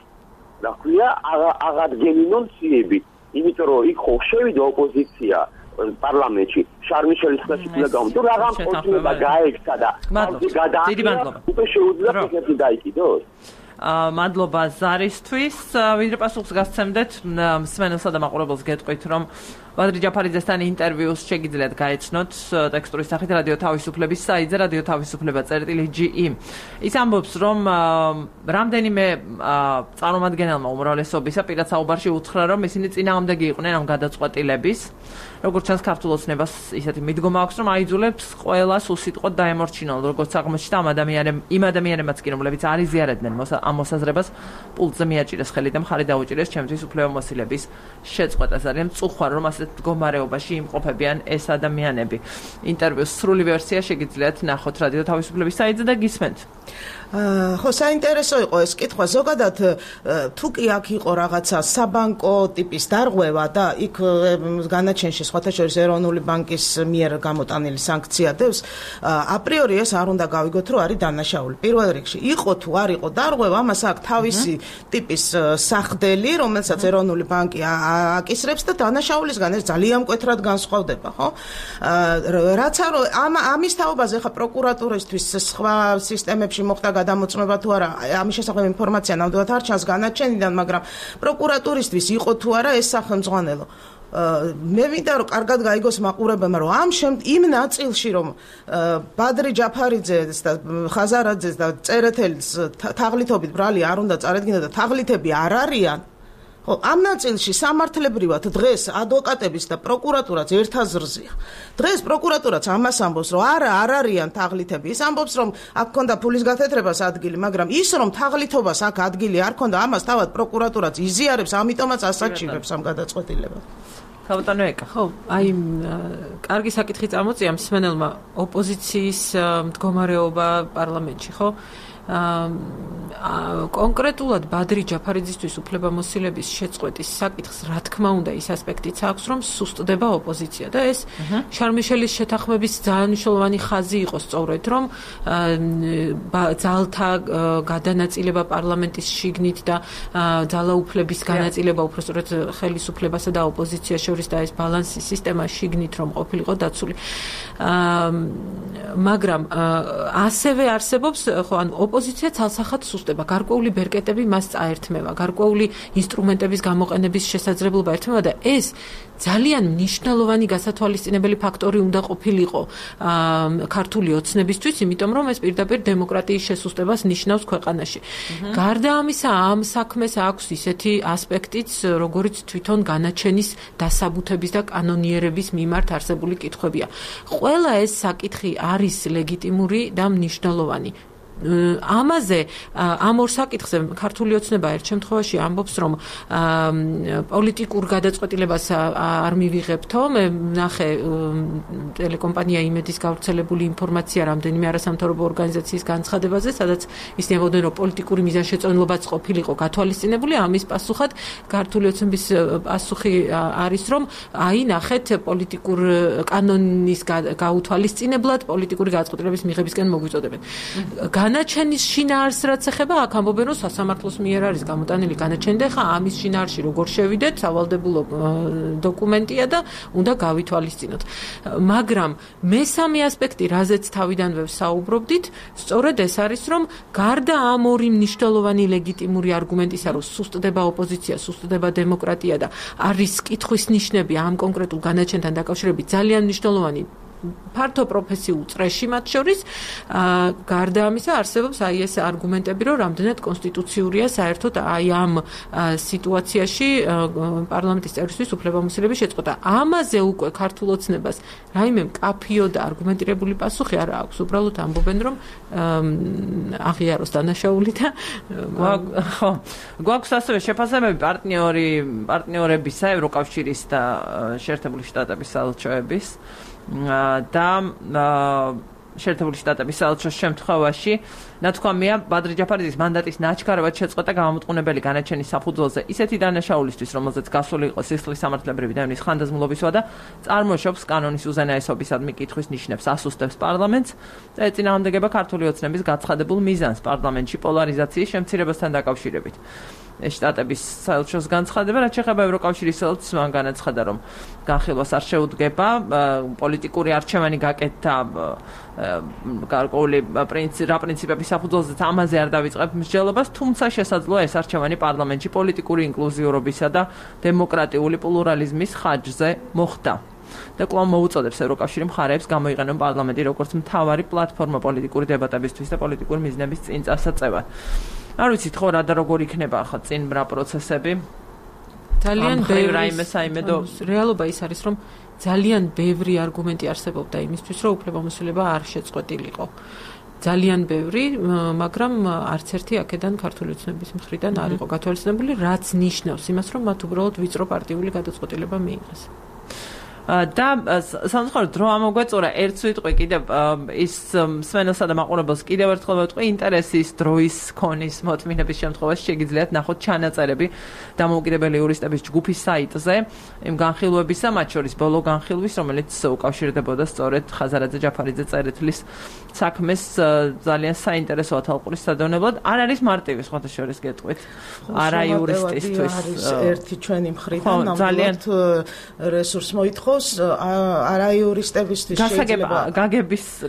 რა ქვია აღადგენინონ ციები, იმიტომ რომ იქ ხო შევიდა ოპოზიცია პარლამენტში შარმიშელის ხელშეკრულება თუ რაღაც ოცნება გაექცა და გადააკეთა უკვე შეუძლია ფიქრი დაიკიდოს. მადლობა ზარისთვის. ვიდრე პასუხს გასცემდეთ, მსმენელსა და მაყურებელს გეტყვით, რომ ბადრი ჯაფარიძესთან ინტერვიუს შეგიძლიათ გაეცნოთ ტექსტურის სახით რადიო თავისუფლების საიტზე რადიო თავისუფლება.ge. ის ამბობს, რომ რამდენიმე წარმომადგენელმა უმრავლესობისა პირად საუბარში უთხრა, რომ ისინი წინააღმდეგი იყვნენ ამ გადაწყვეტილების. როგორც ჩანს, ქართულ ოცნებას ისეთი მიდგომა აქვს, რომ აიძულებს ყველას უსიტყვოდ დაემორჩინონ, როგორც აღმოჩნდა იმ ადამიანებმაც კი, რომლებიც არ იზიარებდნენ ამ მოსაზრებას, პულტზე მიაჭირეს ხელი და მხარი დაუჭირეს ჩემთვის უფლებამოსილების შეწყვეტას. ძალიან მწუხვარ, რომ ასეთ მდგომარეობაში იმყოფებიან ეს ადამიანები. ინტერვიუს სრული ვერსია შეგიძლიათ ნახოთ რადიო თავისუფლების საიტზე და გისმენთ. ხო, საინტერესო იყო ეს კითხვა. ზოგადად თუ კი აქ იყო რაღაცა საბანკო ტიპის დარღვევა და იქ განაჩენში სხვათა შორის ეროვნული ბანკის მიერ გამოტანილი სანქცია დევს, აპრიორი ეს არ უნდა გავიგოთ, რომ არის დანაშაული. პირველ რიგში იყო თუ არ იყო დარღვევა, ამას აქვს თავისი ტიპის სახდელი, რომელსაც ეროვნული ბანკი აკისრებს და დანაშაულისგან ეს ძალიან მკვეთრად განსხვავდება, ხო? რაც ამის თაობაზე ხა პროკურატურისთვის სხვა სისტემებში მოხდა გადამოწმება თუ არა, ამის შესახებ ინფორმაცია ნამდვილად არ ჩანს განაჩენიდან, მაგრამ პროკურატურისთვის იყო თუ არა ეს სახელმძღვანელო. მე მინდა რომ კარგად გაიგოს მაყურებელმა, რომ იმ ნაწილში რომ ბადრი ჯაფარიძეს და ხაზარაძეს და წერეთელს თაღლითობით ბრალი არ უნდა წარედგინა და თაღლითები არ არიან, ხო, ამ ნაწილში სამართლებრივად დღეს ადვოკატების და პროკურატურაც ერთ აზრზეა. დღეს პროკურატურაც ამას ამბობს, რომ არ არიან თაღლითები. ის ამბობს, რომ აქ ქონდა ფულის გათეთრებას ადგილი, მაგრამ ის რომ თაღლითობას აქ ადგილი არ ქონდა, ამას თავად პროკურატურაც იზიარებს, ამიტომაც ასაჩივრებს ამ გადაწყვეტილებებს. ხავტანო ეკა. ხო, აი კარგი საკითხი წამოწია მსმენელმა ოპოზიციის მდგომარეობა პარლამენტში, ხო? კონკრეტულად ბადრი ჯაფარიძისთვის უფლებამოსილების შეწყვეტის საკითხს რა თქმა უნდა ის ასპექტიც აქვს, რომ სუსტდება ოპოზიცია და ეს შარმიშელის შეთანხმების ძალიან მნიშვნელოვანი ხაზი იყო სწორედ, რომ ძალთა გადანაწილება პარლამენტის შიგნით და ძალაუფლების განაწილება უბრალოდ ხელისუფლებასა და ოპოზიციას შორის და ეს ბალანსი სისტემა შიგნით რომ ყოფილიყო დაცული. მაგრამ ასევე არსებობს ხო ანუ ოპოზიცია ცალსახად სუსტდება, გარკვეული ბერკეტები მას წაერთმევა, გარკვეული ინსტრუმენტების გამოყენების შესაძლებლობა ერთმევა და ეს ძალიან მნიშვნელოვანი გასათვალისწინებელი ფაქტორი უნდა ყოფილიყო ქართული ოცნებისთვის, იმიტომ რომ ეს პირდაპირ დემოკრატიის შესუსტებას ნიშნავს ქვეყანაში. გარდა ამისა, ამ საქმეს აქვს ისეთი ასპექტიც, როგორც თვითონ განაჩენის დასაბუთების და კანონიერების მიმართ არსებული კითხვებია. ყველა ეს საკითხი არის ლეგიტიმური და მნიშვნელოვანი. ამაზე ამ ორ საკითხზე ქართული ოცნება ერთ შემთხვევაში ამბობს, რომ პოლიტიკურ გადაწყვეტილებას არ მივიღებთო. მე ნახე ტელეკომპანია იმედის გავრცელებული ინფორმაცია რამდენიმე არასამთავრობო ორგანიზაციის განცხადებაზე, სადაც ისინი ამბობდნენ, რომ პოლიტიკური მიზანშეწონილობაც ყოფილიყო გათვალისწინებული. ამის პასუხად ქართული ოცნების პასუხი არის, რომ აი ნახეთ პოლიტიკურ კანონის გაუთვალისწინებლად პოლიტიკური გადაწყვეტილების მიღებისკენ მოგვიწოდებენ. განაჩენის შინაარს რაც ეხება, აქ ამბობენ, რომ სასამართლოს მიერ არის გამოტანილი განაჩენი და ხა ამის შინაარსში როგორ შევიდეთ, სავალდებულო დოკუმენტია და უნდა გავითვალისწინოთ. მაგრამ მესამე ასპექტი, რაზეც თავიდანვე საუბრობდით, სწორედ ეს არის, რომ გარდა ამ ორი მნიშვნელოვანი ლეგიტიმური არგუმენტისა, რომ სუსტდება ოპოზიცია, სუსტდება დემოკრატია და არის კითხვის ნიშნები ამ კონკრეტულ განაჩენთან დაკავშირებით ძალიან მნიშვნელოვანი ფართო პროფესიულ წრეში მათ შორის გარდა ამისა არსებობს აი ეს არგუმენტები, რომ რამდენად კონსტიტუციურია საერთოდ აი ამ სიტუაციაში პარლამენტის წევრისთვის უფლებამოსილების შეწყვეტა. ამაზე უკვე ქართულ ოცნებას რაიმე მკაფიო და არგუმენტირებული პასუხი არ აქვს. უბრალოდ ამბობენ, რომ აღიაროს დანაშაული და ხო გვაქვს ასევე შეფასებები პარტნიორებისა, ევროკავშირის და შეერთებული შტატების საელჩოების და შეერთებული შტატების საელჩოს შემთხვევაში ნათქვამია ბადრი ჯაფარიძის მანდატის ნაჩქარევად შეწყვეტა გამომტყუნებელი განაჩენის საფუძველზე ისეთი დანაშაულისთვის, რომელზეც გასული იყო სისხლის სამართლებრივი დევნის ხანდაზმულობისვა და წარმოშობს კანონის უზენაესობისადმი კითხვის ნიშნებს, ასუსტებს პარლამენტს და ეწინააღმდეგება ქართული ოცნების გაცხადებულ მიზანს პარლამენტში პოლარიზაციის შემცირებასთან დაკავშირებით. შტატების საელჩოს განცხადება, რაც შეეხება ევროკავშირის საელჩოს, მან განაცხადა, რომ განხილვას არ შეუდგება პოლიტიკური არჩევანი გაკეთდა გარკვეული პრინციპების საფუძველზეც ამაზე არ დავიწყებ მსჯელობას, თუმცა შესაძლოა ეს არჩევანი პარლამენტში პოლიტიკური ინკლუზიურობისა და დემოკრატიული პლურალიზმის ხარჯზე მოხდა. და კვლავ მოუწოდებს ევროკავშირი მხარეებს გამოიყენონ პარლამენტი როგორც მთავარი პლატფორმა პოლიტიკური დებატებისთვის და პოლიტიკური მიზნების წინ წასაწევად. არ ვიცით ხო რა და როგორ იქნება ახლა წინ რა პროცესები? ძალიან ბევრი საიმედო რეალობა ის არის, რომ ძალიან ბევრი არგუმენტი არსებობდა იმისთვის, რომ უფლებამოსილება არ შეწყვეტილიყო. ძალიან ბევრი, მაგრამ არც ერთი აქედან ქართული ოცნების მხრიდან არ იყო გათვალისწინებული, რაც ნიშნავს იმას, რომ მათ უბრალოდ ვიწრო პარტიული გადაწყვეტილება მიიღეს. და სამწუხაროდ დრო ამოგვეწურა ერთ სიტყვი კიდევ ის სვენელსა და მაყურებელს კიდევ ერთხელ ვეთქვი ინტერესის დროის ქონის მოთმინების შემთხვევაში შეგიძლიათ ნახოთ ჩანაწერები დამოუკიდებელი იურისტების ჯგუფის საიტზე იმ განხილვებისა, მათ შორის ბოლო განხილვის, რომელიც უკავშირდებოდა სწორედ ხაზარაძე ჯაფარიძე წერეთლის საქმეს ძალიან საინტერესო ათალყურის სადევნებლად. არ არის მარტივი სხვათა შორის გეტყვით არა იურისტისთვის არის ერთი ჩვენი მხრიდან ნამდვილად რესურს მოითხოვს არა იურისტებისთვის შეიძლება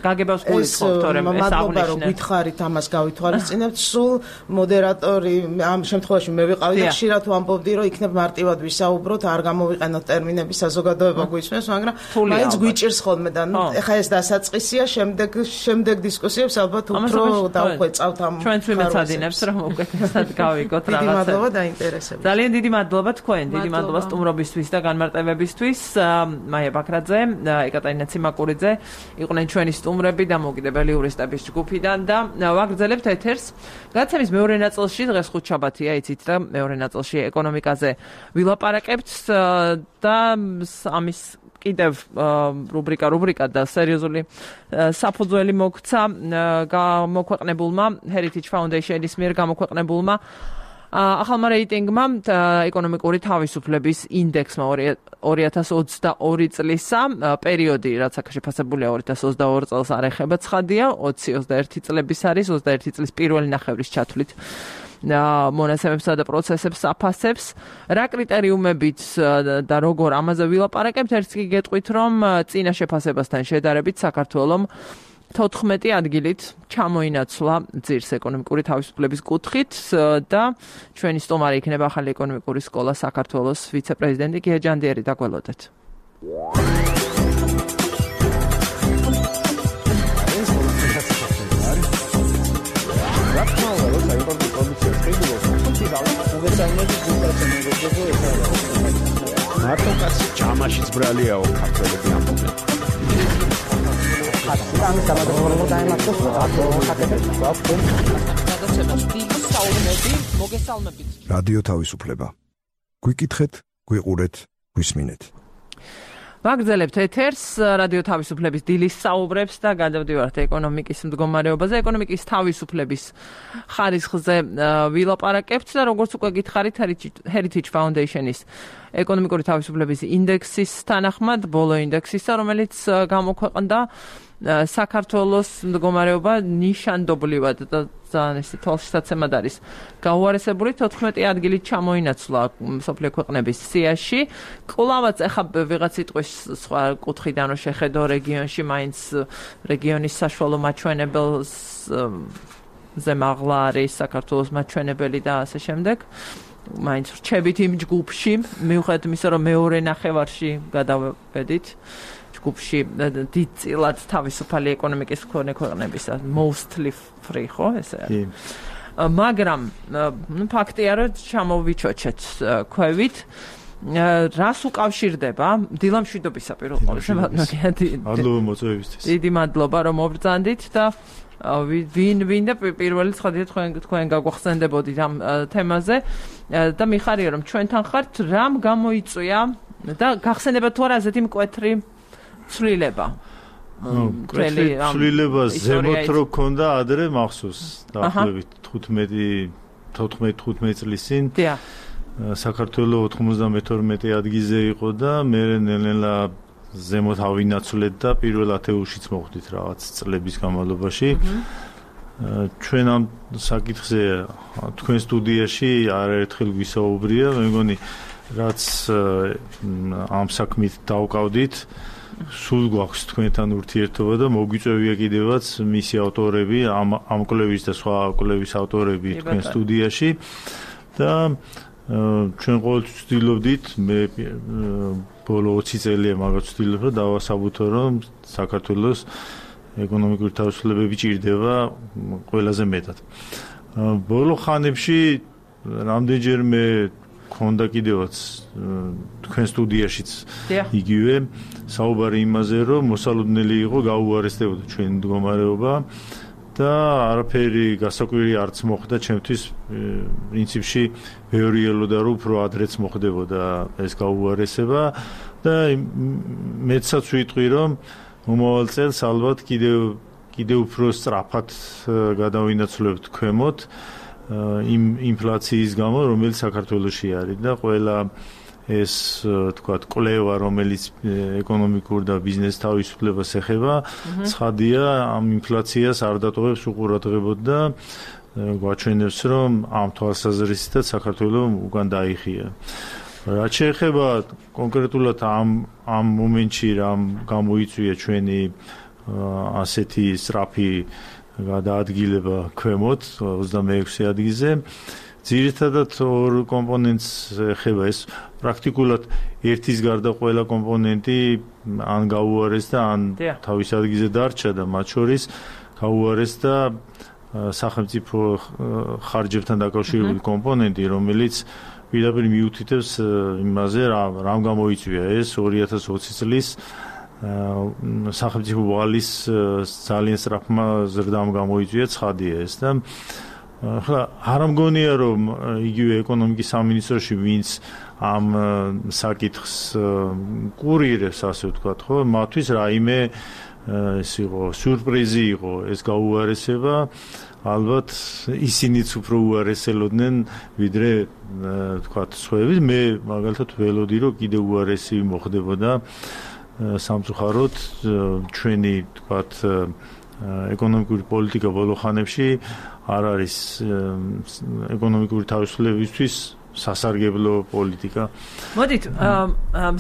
გაგებას გულისხმობთ თორემ ეს მადლობა რომ გითხარით ამას გავითვალისწინებთ სულ მოდერატორი ამ შემთხვევაში მე ვიყავი და ხშირად ვამბობდი რომ იქნებ მარტივად ვისაუბროთ არ გამოვიყენოთ ტერმინები საზოგადოება გვისმენს მაგრამ მაინც გვიჭირს ხოლმე და ეხა ეს დასაწყისია შემდეგ დისკუსიებს ალბათ უფრო დავხვეწავთ ამ ჩვენც ვიმეცადინებს რომ უკეთესად გავიგოთ რაღაცა დიდი მადლობა დაინტერესებით ძალიან დიდი მადლობა თქვენ დიდი მადლობა სტუმრობისთვის და განმარტებებისთვის მაია ბაქრაძე, ეკატერინე ციმაკურიძე იყვნენ ჩვენი სტუმრები დამოუკიდებელი იურისტების ჯგუფიდან და ვაგრძელებთ ეთერს. გადაცემის მეორე ნაწილში დღეს ხუთშაბათია, იცით და მეორე ნაწილში ეკონომიკაზე ვილაპარაკებთ და ამის კიდევ რუბრიკა და სერიოზული საფუძველი მოგცა გამოქვეყნებულმა Heritage Foundation-ის მიერ გამოქვეყნებულმა ახალმა რეიტინგმა ეკონომიკური თავისუფლების ინდექსმა 2022 წლისა პერიოდი, რაც აქ შეფასებულია 2022 წელს არ ეხება ცხადია, 20-21 წლების არის, 21 წლის პირველი ნახევრის ჩათვლით მონაცემებსა და პროცესებს აფასებს. რა კრიტერიუმებით და როგორ ამაზე ვილაპარაკებთ, ერთს კი გეტყვით, რომ წინა შეფასებასთან შედარებით საქართველომ 14 ადგილით ჩამოინაცვლა ძირს ეკონომიკური თავისუფლების კუთხით და ჩვენი სტუმარი იქნება ახალი ეკონომიკური სკოლა საქართველოს ვიცე-პრეზიდენტი გია ჯანდიერი და გველოდეთ. მარტო კაცი ჯამაშიც ბრალიაო ქართველები ამბობენ. რადიო თავისუფლება. გვიკითხეთ, გვიყურეთ, გვისმინეთ. ვაგრძელებთ ეთერს რადიო თავისუფლების დილის საუბრებს და გადავდივართ ეკონომიკის მდგომარეობაზე, ეკონომიკის თავისუფლების ხარისხზე ვილაპარაკებთ და როგორც უკვე გითხარით Heritage Foundation-ის ეკონომიკური თავისუფლების ინდექსის თანახმად, ბოლო ინდექსისა, რომელიც გამოქვეყნდა საქართველოს მდგომარეობა ნიშანდობლივად და ძალიან ისე თვალშისაცემად არის გაუარესებული 14 ადგილით ჩამოინაცვლა მსოფლიო ქვეყნების სიაში. კვლავაც ახლა ვიღაც იტყვის სხვა კუთხიდან რომ შეხედო რეგიონში მაინც რეგიონის საშუალო მაჩვენებელს ზემაღლა არის საქართველოს მაჩვენებელი და ასე შემდეგ. მაინც რჩებით იმ ჯგუფში, მიუხედავად იმისა, რომ მეორე ნახევარში გადავედით ჯგუფში დიდწილად თავისუფალი ეკონომიკის მქონე ქვეყნებისა, mostly free, ხო, ესე არის. მაგრამ ფაქტია, რომ ჩამოვიჩოჩეთ ქვევით. რას უკავშირდება დილამშვიდობისა პირველ ყოვლისა მადლობა მოწვევისთვის. დიდი მადლობა რომ მობრძანდით და ვინ და პირველი ცხადია თქვენ გაგვახსენდებოდით ამ თემაზე და მიხარია რომ ჩვენთან ხართ რამ გამოიწვია და გახსენებათ თუ არა ასეთი მკვეთრი ცვლილება. ცვლილება ზემოთ რო ქონდა ადრე მახსოვს დაახლოებით 15 წლის წინ. საქართველოს 92 ადგილზე იყო და მე ნელ-ნელა ზემოთ ავინაცვლეთ და პირველ ათეულშიც მოხვდით რაღაც წლების განმავლობაში. ჩვენ ამ საკითხზე თქვენ სტუდიაში არაერთხელ გვისაუბრია, მე მგონი რაც ამ საქმით დავკავდით, სულ გვაქვს თქვენთან ურთიერთობა და მოგვიწევია კიდევაც მისი ავტორები, ამ კვლევის და სხვა კვლევის ავტორები თქვენ სტუდიაში და ჩვენ ყოველთვის ვცდილობდით, მე ბოლო 20 წელია მაგას ვცდილობ, რომ დავასაბუთო, რომ საქართველოს ეკონომიკური თავისუფლებები ჭირდება ყველაზე მეტად. ბოლო ხანებში რამდენჯერმე ქონდა კიდევაც თქვენ სტუდიაშიც იგივე საუბარი იმაზე, რომ მოსალოდნელი იყო გაუარესდებოდა ჩვენი მდგომარეობა და არაფერი გასაკვირი არც მოხდა ჩემთვის პრინციპში ბევრი ელოდა რომ უფრო ადრეც მოხდებოდა ეს გაუარესება და მეცაც ვიტყვი რომ მომავალ წელს ალბათ კიდევ უფრო სწრაფად გადავინაცვლებთ ქვემოთ იმ ინფლაციის გამო რომელიც საქართველოში არის და ყველა ეს თქვათ კვლევა რომელიც ეკონომიკურ და ბიზნეს თავისუფლებას ეხება ცხადია ამ ინფლაციას არ დატოვებს უყურადღებოდ და გვაჩვენებს რომ ამ თვალსაზრისითაც საქართველოს უკან დაიხია. რაც შეეხება კონკრეტულად ამ მომენტში რამ გამოიწვია ჩვენი ასეთი სწრაფი გადაადგილება ქვემოთ 26 ადგილზე ძირითადად ორ კომპონენტს ეხება ეს პრაქტიკულად ერთის გარდა ყველა კომპონენტი ან გაუარეს და ან თავის ადგილზე დარჩა და მათ შორის გაუარეს და სახელმწიფო ხარჯებთან დაკავშირებული კომპონენტი რომელიც პირდაპირ მიუთითებს იმაზე რამ გამოიწვია ეს 2020 წლის სახელმწიფო ვალის ძალიან სწრაფმა ზრდამ გამოიწვია ცხადია ეს და ახლა არ მგონია რომ იგივე ეკონომიკის სამინისტროში ვინც ამ საკითხს კურირებს ასე ვთქვათ ხო მათთვის რაიმე ეს იყო სიურპრიზი იყო ეს გაუარესება ალბათ ისინიც უფრო უარესელოდნენ ვიდრე ვთქვათ სხვაები მე მაგალითად ველოდი რომ კიდევ უარესი მოხდებოდა სამწუხაროდ ჩვენი ვთქვათ ეკონომიკური პოლიტიკა ბოლო ხანებში არ არის ეკონომიკური თავისუფლებისთვის სასარგებლო პოლიტიკა. მოდით,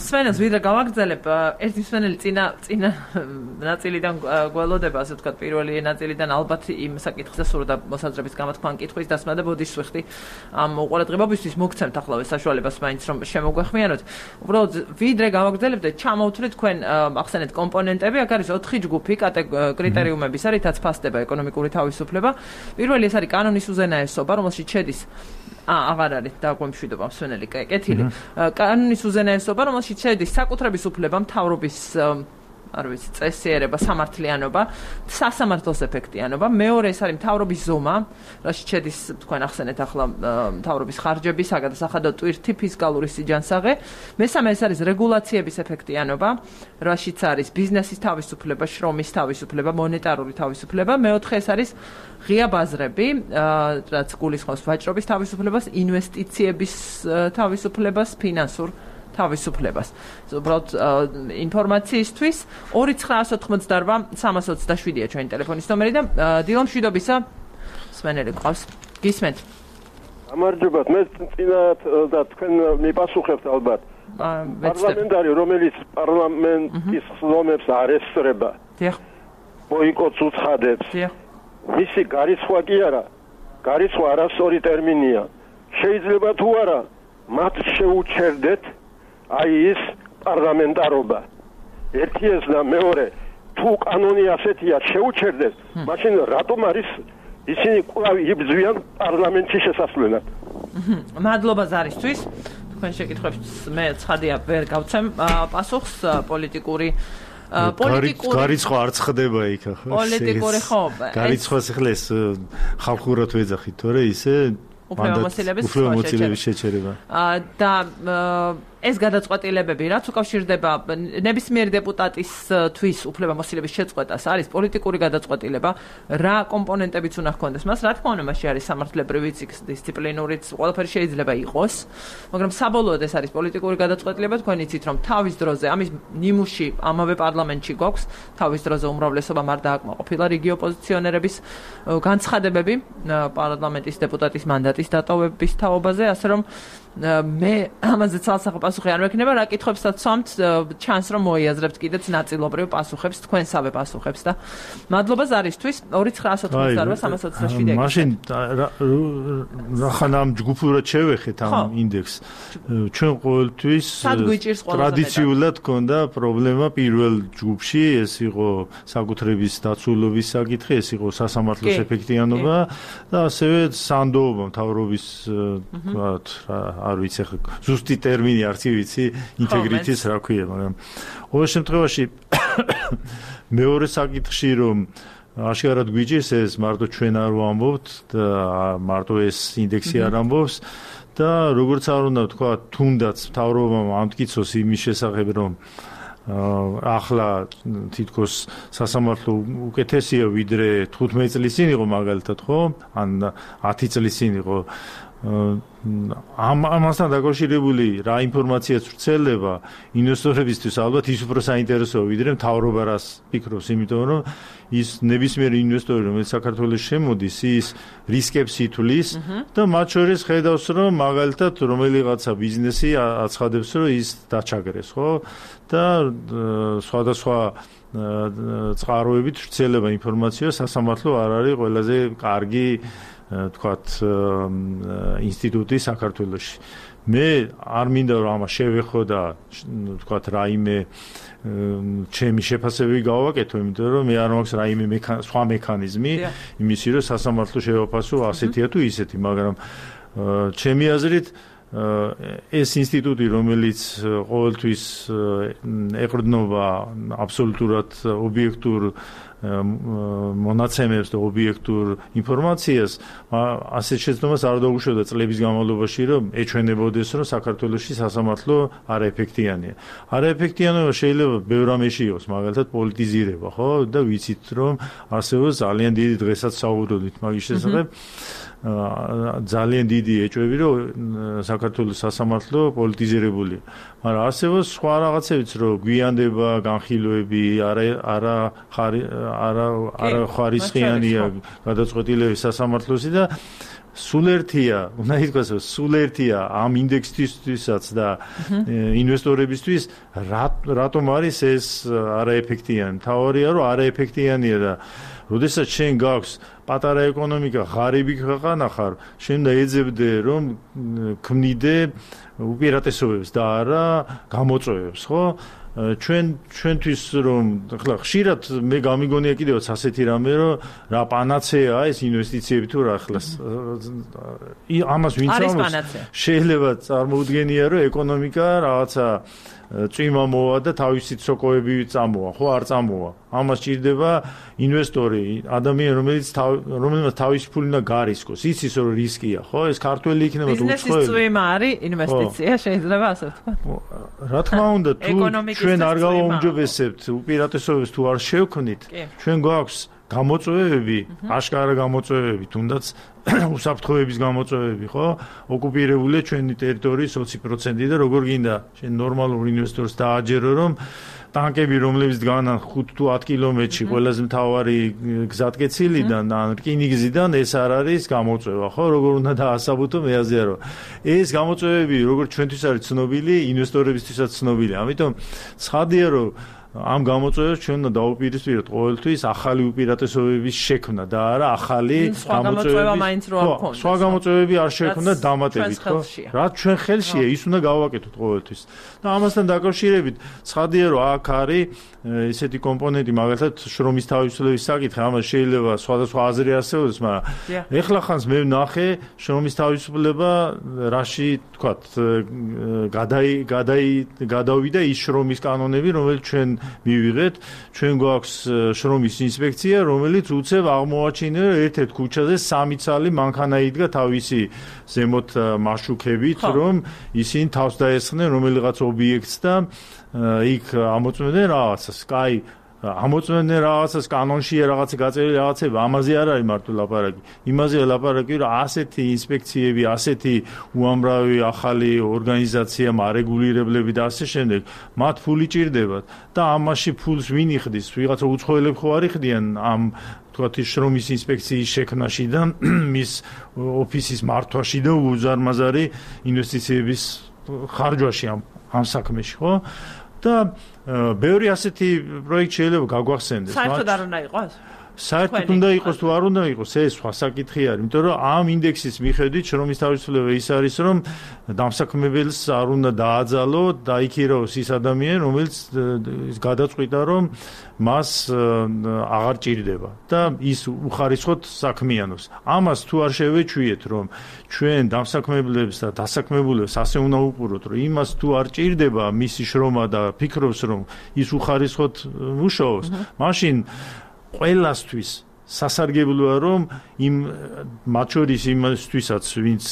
სვენას ვიდრე გავაგრძელებ, ერთი სვენელი წინა ნაწილიდან გველოდება, ასე ვთქვათ, პირველი ნაწილიდან ალბათ იმ საკითხზე სურდა მოსაზრების გამოთქმა კითხვის დასმა და ბოდიშს ვიხდი ამ უყურადღებობისთვის მოგცემთ ახლავე საშუალებას მაინც რომ შემოგვეხმიანოთ. უბრალოდ ვიდრე გავაგრძელებთ, ჩამოვთვლით თქვენ ახსენეთ კომპონენტები, აქ არის 4 ჯგუფი კრიტერიუმების, რითაც ფასდება ეკონომიკური თავისუფლება. პირველი ეს არის კანონის უზენაესობა, რომელშიც შედის აღარ არის დაგვემშვიდობა მსვენელი კეთილი. კანონის უზენაესობა, რომელშიც შედის საკუთრების უფლება, მთავრობის არ ვიცი, წესიერება, სამართლიანობა, სასამართლოს ეფექტიანობა. მეორე ეს არის მთავრობის ზომა, რაშიც შედის თქვენ ახსენეთ ახლა მთავრობის ხარჯები, საგადასახადო ტვირთი, ფისკალური სიჯანსაღე. მესამე ეს არის რეგულაციების ეფექტიანობა, რაშიც არის ბიზნესის თავისუფლება, შრომის თავისუფლება, მონეტარული თავისუფლება. მეოთხე ეს არის ღია ბაზრები, რაც გულისხმობს ვაჭრობის თავისუფლებას, ინვესტიციების თავისუფლებას, ფინანსურ თავისუფლებას. უბრალოდ ინფორმაციისთვის 2988327-ია ჩვენი ტელეფონის ნომერი და დილო მშვიდობისა სვენელი ყავს. გისმენთ. გამარჯობათ, მე წინათ და თქვენ მიპასუხებთ ალბათ. პარლამენტარი, რომელიც პარლამენტის ხსოვნებს არ ესწრება. დიახ. ბოიკოტს უცხადებს. დიახ. მისი გარიცხვა კი არა. გარიცხვა არასწორი ტერმინია. შეიძლება თუ არა მათ შეუჩერდეთ აი ის პარლამენტარობა. ერთი ეს და მეორე თუ კანონი ასეთია შეუჩერდეთ, მაშინ რატომ არის ისინი კვლავ იბრძვიან პარლამენტში შესასვლელად? მადლობა ზარისთვის. თქვენ შეკითხვებს მე ცხადია ვერ გავცემ პასუხს პოლიტიკური გარიცხვა არ ხდება იქ ახლა. პოლიტიკური ხო. გარიცხვას ახლა ეს ხალხურად ვეძახით, თორე ისე უფლებამოსილების შეჩერება. და ეს გადაწყვეტილებები, რაც უკავშირდება ნებისმიერი დეპუტატისთვის უფლებამოსილების შეწყვეტას, არის პოლიტიკური გადაწყვეტილება, რა კომპონენტებიც უნდა ჰქონდეს მას, რა თქმა უნდა, მასში არის სამართლებრივიც, დისციპლინურიც, ყველაფერი შეიძლება იყოს, მაგრამ საბოლოოდ ეს არის პოლიტიკური გადაწყვეტილება, თქვენ იცით, რომ თავის დროზე, ამის ნიმუში ამავე პარლამენტში გვაქვს, თავის დროზე უმრავლესობამ არ დააკმაყოფილა რიგი ოპოზიციონერების განცხადებები პარლამენტის დეპუტატის მანდატის დატოვების თაობაზე, ასე რომ მე ამაზე ცალსახო პასუხი არ მექნება, რა კითხვებსაც ვსვამთ, ჩანს რომ მოიაზრებთ კიდეც ნაწილობრივ პასუხებს, თქვენსავე პასუხებს და მადლობა ზარისთვის 2988327. მაშინ რახან ამ ჯგუფურად შევეხეთ ამ ინდექსს. ჩვენ ყოველთვის ტრადიციულად ჰქონდა პრობლემა პირველ ჯგუფში, ეს იყო საკუთრების დაცულობის საკითხი, ეს იყო სასამართლოს ეფექტიანობა და ასევე სანდოობა მთავრობის თქვათ არ ვიცი ახლა ზუსტი ტერმინი არც ვიცი ინტეგრიტის რა ქვია, მაგრამ ყოველ შემთხვევაში მეორე საკითხში რომ აშკარად გვიჭირს ეს მარტო ჩვენ არ ვამბობთ და მარტო ეს ინდექსი არ ამბობს და როგორც არ უნდა თქვა თუნდაც მთავრობამ ამტკიცოს იმის შესახებ რომ ახლა თითქოს სასამართლო უკეთესია ვიდრე 15 წლის წინ იყო მაგალითად ხო ან 10 წლის წინ იყო ამასთან დაკავშირებული რა ინფორმაციაც ვრცელდება ინვესტორებისთვის ალბათ ის უფრო საინტერესოა ვიდრე მთავრობა რას ფიქრობს, იმიტომ რომ ის ნებისმიერი ინვესტორი რომელიც საქართველოს შემოდის ის რისკებს ითვლის და მათ შორის ხედავს რომ მაგალითად რომელიღაცა ბიზნესი აცხადებს რომ ის დაჩაგრეს ხო და სხვადასხვა წყაროებით ვრცელდება ინფორმაცია სასამართლო არ არის ყველაზე კარგი თქვათ ინსტიტუტი საქართველოში. მე არ მინდა რომ ამას შევეხო და თქვათ რაიმე ჩემი შეფასებები გავაკეთო, იმიტომ რომ მე არ მაქვს რაიმე სხვა მექანიზმი იმისი რომ სასამართლო შევაფასო ასეთია თუ ისეთი, მაგრამ ჩემი აზრით ეს ინსტიტუტი რომელიც ყოველთვის ეყრდნობა აბსოლუტურად ობიექტურ მონაცემებს და ობიექტურ ინფორმაციას ასეთ შეცდომას არ დაუშვებდა წლების განმავლობაში რომ ეჩვენებოდეს რომ საქართველოში სასამართლო არაეფექტიანია. არაეფექტიანობა შეიძლება ბევრ რამეში იყოს, მაგალითად პოლიტიზირება, ხო? და ვიცით რომ არსებობს ძალიან დიდი დღესაც საუბრობთ მაგის შესახებ. ძალიან დიდი ეჭვები რომ საქართველოს სასამართლო პოლიტიზირებულია. მაგრამ არსებობს სხვა რაღაცებიც რომ გვიანდება, განხილვები, არა ხარისხიანია გადაწყვეტილების სასამართლოსი და სულ ერთია, უნდა ითქვას, სულ ერთია ამ ინდექსისთვისაც და ინვესტორებისთვის რატომ არის ეს არაეფექტიანი. მთავარია რომ არაეფექტიანია და როდესაც შენ გაქვს პატარა ეკონომიკა, ღარიბი ქვეყანა ხარ, შენ უნდა ეძებდე რომ ქმნიდე უპირატესობებს და არა გამოწვევებს, ხო? ჩვენთვის რომ ახლა ხშირად მე გამიგონია კიდევაც ასეთი რამე რომ რა პანაცეა ეს ინვესტიციები თუ რა ახლა ამას ვინც ამბობს შეიძლება წარმოუდგენია რომ ეკონომიკა რაღაცა წვიმა მოვა და თავისი ცოკოები წამოვა, ხო არ წამოვა. ამას ჭირდება ინვესტორი, ადამიანი რომელმაც თავისი ფული უნდა გარისკოს. იცის რომ რისკია, ხო? ეს ქართველი იქნება თუ უცხოელი. ბიზნესის წვიმა არის ინვესტიცია, შეიძლება ასე ვთქვა. რა თქმა უნდა, თუ ჩვენ არ გავაუმჯობესებთ უპირატესობებს თუ არ შევქმნით, ჩვენ გვაქვს გამოწვევები, აშკარა გამოწვევები, თუნდაც უსაფრთხოების გამოწვევები, ხო? ოკუპირებულია ჩვენი ტერიტორიის 20% და როგორ გინდა შენ ნორმალურ ინვესტორს დააჯერო, რომ ტანკები, რომლებიც დგანან 5 თუ 10 კილომეტრში ყველაზე მთავარი გზატკეცილიდან ან რკინიგზიდან, ეს არ არის გამოწვევა, ხო? როგორ უნდა დაასაბუთო, მე აზიარო. ეს გამოწვევები, როგორც ჩვენთვის არის ცნობილი, ინვესტორებისთვისაც ცნობილია. ამიტომ ცხადია, რომ ამ გამოწვევებს ჩვენ უნდა დაუპირისპიროთ ყოველთვის ახალი უპირატესობების შექმნა და არა ახალი გამოწვევები. სხვა გამოწვევები არ შექმნა დამატებით, ხო? რაც ჩვენ ხელშია, ის უნდა გავაკეთოთ ყოველთვის. და ამასთან დაკავშირებით, ცხადია, რომ აქ არის ესეთი კომპონენტი, მაგალითად, შრომის თავისუფლების საკითხი, ამას შეიძლება სხვადასხვა აზრი არსებობს, მაგრამ ეხლა ხანს მე ვნახე შრომის თავისუფლება, რაში, თქვათ, გადავიდა ის შრომის კანონები, რომელიც ჩვენ მივიღეთ, ჩვენ გვაქვს შრომის ინსპექცია, რომელიც უცებ აღმოაჩინა ერთ-ერთ ქუჩაზე 3 ცალი მანქანა იდგა თავისი ზემოთ მაშუქებით, რომ ისინი თავს დაესხნენ რომელიღაც ობიექტს და იქ ამოწმდნენ რაღაცას. კაი, ამოწმდნენ რაღაცას კანონშია რაღაცა გაწერილი რაღაცება, ამაზე არ არის მარტო ლაპარაკი. იმაზეა ლაპარაკი, რომ ასეთი ინსპექციები, ასეთი უამრავი ახალი ორგანიზაცია, მარეგულირებლები და ასე შემდეგ, მათ ფული ჭირდებათ და ამაში ფულს ვინ იხდის? ვიღაცა უცხოელები ხო არ იხდიან ამ თქვათ შრომის ინსპექციის შექმნაში და მის ოფისის მართვაში და უზარმაზარი ინვესტიციების ხარჯვაში ამ საქმეში, ხო? და ბევრი ასეთი პროექტი შეიძლება გაგვახსენდეს. საერთოდ არ უნდა იყოს? საერთოდ უნდა იყოს თუ არ უნდა იყოს, ეს სხვა საკითხი არის, იმიტომ რომ ამ ინდექსის მიხედვით შრომის თავისუფლება ის არის, რომ დამსაქმებელს არ უნდა დააძალო და იქიროს ის ადამიანი, რომელიც გადაწყვიტა, რომ მას აღარ ჭირდება და ის უხარისხოდ საქმიანობს. ამას თუ არ შევეჩვიეთ, რომ ჩვენ დამსაქმებლებს და დასაქმებულებს ასე უნდა უყუროთ, რომ იმას თუ არ ჭირდება მისი შრომა და ფიქრობს, რომ ის უხარისხოდ მუშაობს, მაშინ ყველასთვის სასარგებლოა, რომ მათ შორის იმისთვისაც, ვინც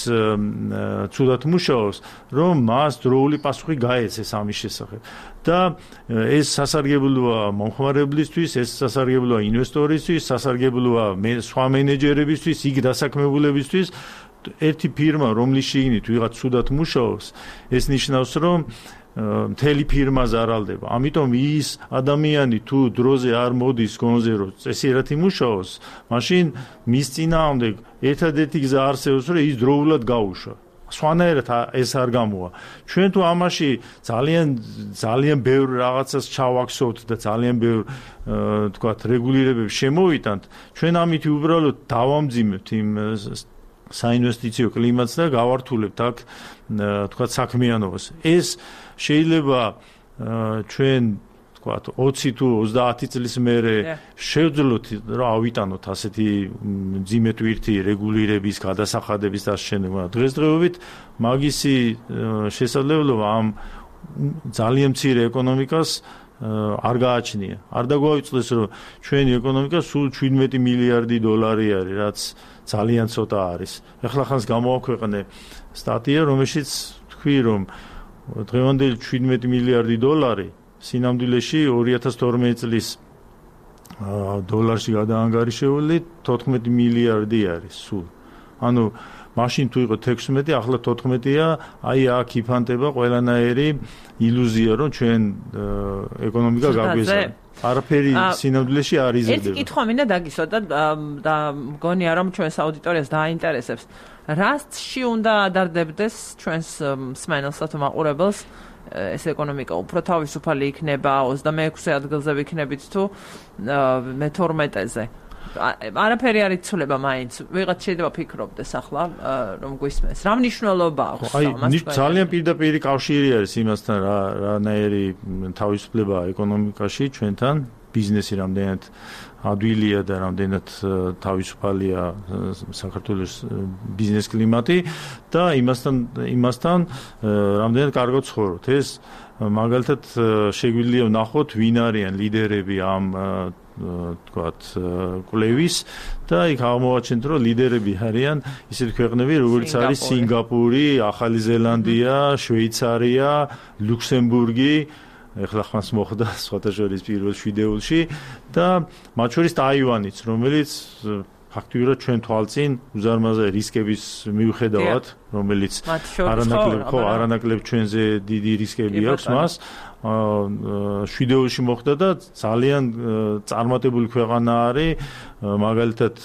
ცუდად მუშაობს, რომ მას დროული პასუხი გაეცეს ამის შესახებ. და ეს სასარგებლოა მომხმარებლისთვის, ეს სასარგებლოა ინვესტორისთვის, სასარგებლოა სხვა მენეჯერებისთვის, იქ დასაქმებულებისთვის. ერთი ფირმა, რომლის შიგნით ვიღაც ცუდად მუშაობს, ეს ნიშნავს, რომ მთელი ფირმა ზარალდება. ამიტომ ის ადამიანი თუ დროზე არ მოდის გონზე, რომ წესიერად იმუშაოს, მაშინ მის წინააღმდეგ ერთადერთი გზა არსებობს, რომ ის დროულად გაუშვა. სხვანაირად ეს არ გამოვა. ჩვენ თუ ამაში ძალიან ბევრ რაღაცას ჩავაქსოვთ და ძალიან ბევრ თქვათ რეგულირებებს შემოვიტანთ, ჩვენ ამით უბრალოდ დავამძიმებთ იმ საინვესტიციო კლიმატს და გავართულებთ აქ თქვათ საქმიანობას. ეს შეიძლება ჩვენ თქვათ 20 თუ 30 წლის მერე შევძლოთ რა ავიტანოთ ასეთი მძიმე ტვირთი რეგულირების, გადასახადების და ასე შემდეგ. დღესდღეობით მაგისი შესაძლებლობა ამ ძალიან მცირე ეკონომიკას არ გააჩნია. არ დაგვაუწყდეს, რომ ჩვენი ეკონომიკა სულ 17 მილიარდი დოლარი არის, რაც ძალიან ცოტა არის. ეხლა ხანს გამოაქვეყნე სტატია, რომელშიც თქვი, რომ დღევანდელი 17 მილიარდი დოლარი სინამდვილეში 2012 წლის დოლარში გადაანგარიშებული 14 მილიარდი არის სულ. ანუ მაშინ თუ იყო 16, ახლა 14-ია, აი აქ იფანტება ყველანაირი ილუზია, რომ ჩვენ ეკონომიკა გაგვეზარდა. არაფერი სინამდვილეში არ იზრდება. ერთი კითხვა მინდა დაგისვა და მგონია, რომ ჩვენს აუდიტორიას დააინტერესებს. რასში უნდა ადარდებდეს ჩვენს მსმენელსა თუ მაყურებელს ეს ეკონომიკა უფრო თავისუფალი იქნება 26 ადგილზე ვიქნებით თუ მე-12-ზე. არაფერი არ იცვლება მაინც. ვიღაც შეიძლება ფიქრობდეს ახლა რომ გვისმენს. რა მნიშვნელობა აქვს ამას? ძალიან პირდაპირი კავშირი არის იმასთან, რანაირი თავისუფლება ეკონომიკაში ჩვენთან, ბიზნესი რამდენად ადვილია და რამდენად თავისუფალია საქართველოს ბიზნეს კლიმატი და იმასთან რამდენად კარგად ცხოვრობთ. ეს მაგალითად შეგვიძლია ვნახოთ, ვინ არიან ლიდერები ამ თქვათ კვლევის და იქ აღმოაჩენთ, რომ ლიდერები არიან ისეთი ქვეყნები, როგორც არის სინგაპური, ახალი ზელანდია, შვეიცარია, ლუქსემბურგი, ეხლა ხმას მოხდა სხვათა შორის პირველ შვიდეულში და მათ შორის ტაივანიც, რომელიც ფაქტიურად ჩვენ თვალწინ უზარმაზარი რისკების მიუხედავად, რომელიც არანაკლებ ჩვენზე დიდი რისკები აქვს მას. შვიდეოში მოხდა და ძალიან წარმატებული ქვეყანა არის, მაგალითად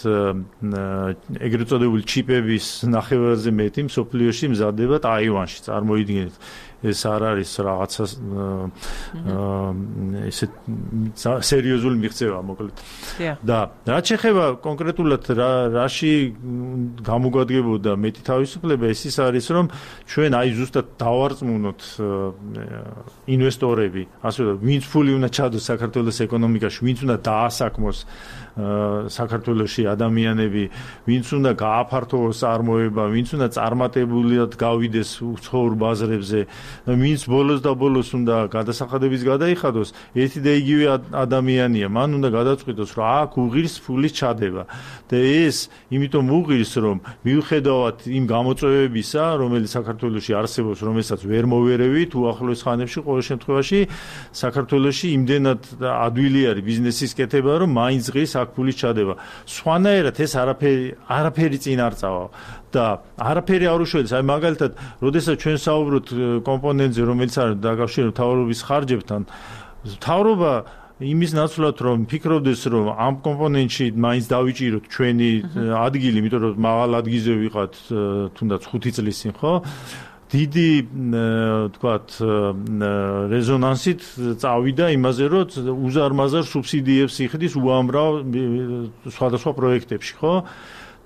ეგრეთ წოდებული ჩიპების ნახევარზე მეტი მსოფლიოში მზადდება ტაივანში, წარმოიდგინეთ. ეს არ არის რაღაცა ესე სერიოზული მიღწევა მოკლედ. და რაც შეეხება კონკრეტულად რაში გამოგვადგებოდა მეტი თავისუფლება, ეს ის არის, რომ ჩვენ აი ზუსტად დავარწმუნოთ ინვესტორები, ასე რომ ვინც ფული უნდა ჩადოს საქართველოს ეკონომიკაში, ვინც უნდა დაასაქმოს საქართველოში ადამიანები, ვინც უნდა გააფართოვოს წარმოება, ვინც უნდა წარმატებულად გავიდეს უცხოურ ბაზრებზე, ვინც ბოლოს და ბოლოს უნდა გადასახადების გადაიხადოს, ერთი და იგივე ადამიანია, მან უნდა გადაწყვიტოს, რომ აქ უღირს ფულის ჩადება. და ეს იმიტომ უღირს, რომ მიუხედავად იმ გამოწვევებისა, რომელიც საქართველოში არსებობს, რომელსაც ვერ მოვერევით, უახლოეს ხანებში ყოველ შემთხვევაში საქართველოში იმდენად ადვილი არის ბიზნესის კეთება, რომ მაინც ღირს აქ ფულის ჩადება. სხვანაირად ეს არაფერი წინ არ წავა. და არაფერი არ უშველს, აი მაგალითად, როდესაც ჩვენ საუბრობთ კომპონენტზე, რომელიც არის დაკავშირებული მთავრობის ხარჯებთან, მთავრობა იმის ნაცვლად რომ ფიქრობდეს, რომ ამ კომპონენტში მაინც დავიჭიროთ ჩვენი ადგილი, იმიტომ რომ მაღალ ადგილზე ვიყავთ თუნდაც 5 წლის წინ, ხო? დიდი თქვათ რეზონანსით წავიდა იმაზე, რომ უზარმაზარ სუბსიდიებს იხდის უამრავ სხვადასხვა პროექტებში, ხო?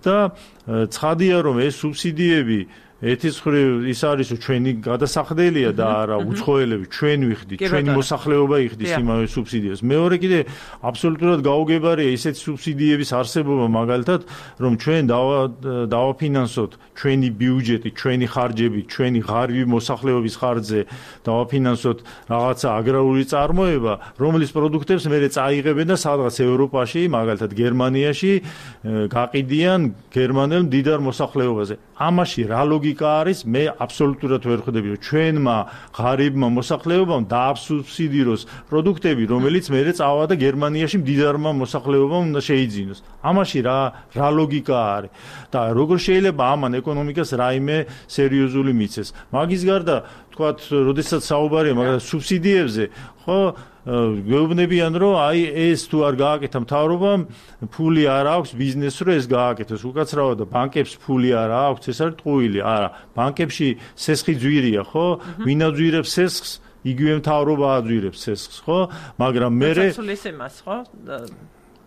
და ცხადია, რომ ეს სუბსიდიები ერთის მხრივ ის არის, რომ ჩვენი გადასახდელია და არა უცხოელები, ჩვენ ვიხდით, ჩვენი მოსახლეობა იხდის იმავე სუბსიდიებს. მეორე კიდე აბსოლუტურად გაუგებარია ისეთი სუბსიდიების არსებობა, მაგალითად, რომ ჩვენ დავაფინანსოთ ჩვენი ბიუჯეტი, ჩვენი ხარჯები, ჩვენი ღარიბი მოსახლეობის ხარჯზე დავაფინანსოთ რაღაცა აგრარული წარმოება, რომლის პროდუქტებს მერე წაიღებენ და სადღაც ევროპაში, მაგალითად გერმანიაში გაყიდიან გერმანელ მდიდარ მოსახლეობაზე. ამაში რა ლოგიკა არის, მე აბსოლუტურად ვერ ხვდები, რომ ჩვენმა ღარიბმა მოსახლეობამ დააბსუბსიდიროს პროდუქტები, რომელიც მერე წავა და გერმანიაში მდიდარმა მოსახლეობამ უნდა შეიძინოს. ამაში რა ლოგიკა არის? და როგორ შეიძლება ამან ეკონომიკას რაიმე სერიოზული მიცეს? მაგის გარდა, თქვათ, როდესაც საუბარია მაგალითად სუბსიდიებზე, ხო, გვეუბნებიან, რომ აი ეს თუ არ გააკეთა მთავრობამ, ფული არ აქვს ბიზნესს, რომ ეს გააკეთოს. უკაცრავად და ბანკებს ფული არ აქვს, ეს არის ტყუილი. არა, ბანკებში სესხი ძვირია, ხო? ვინ აძვირებს სესხს, იგივე მთავრობა აძვირებს სესხს, ხო? მაგრამ მერე სულის იმას, ხო?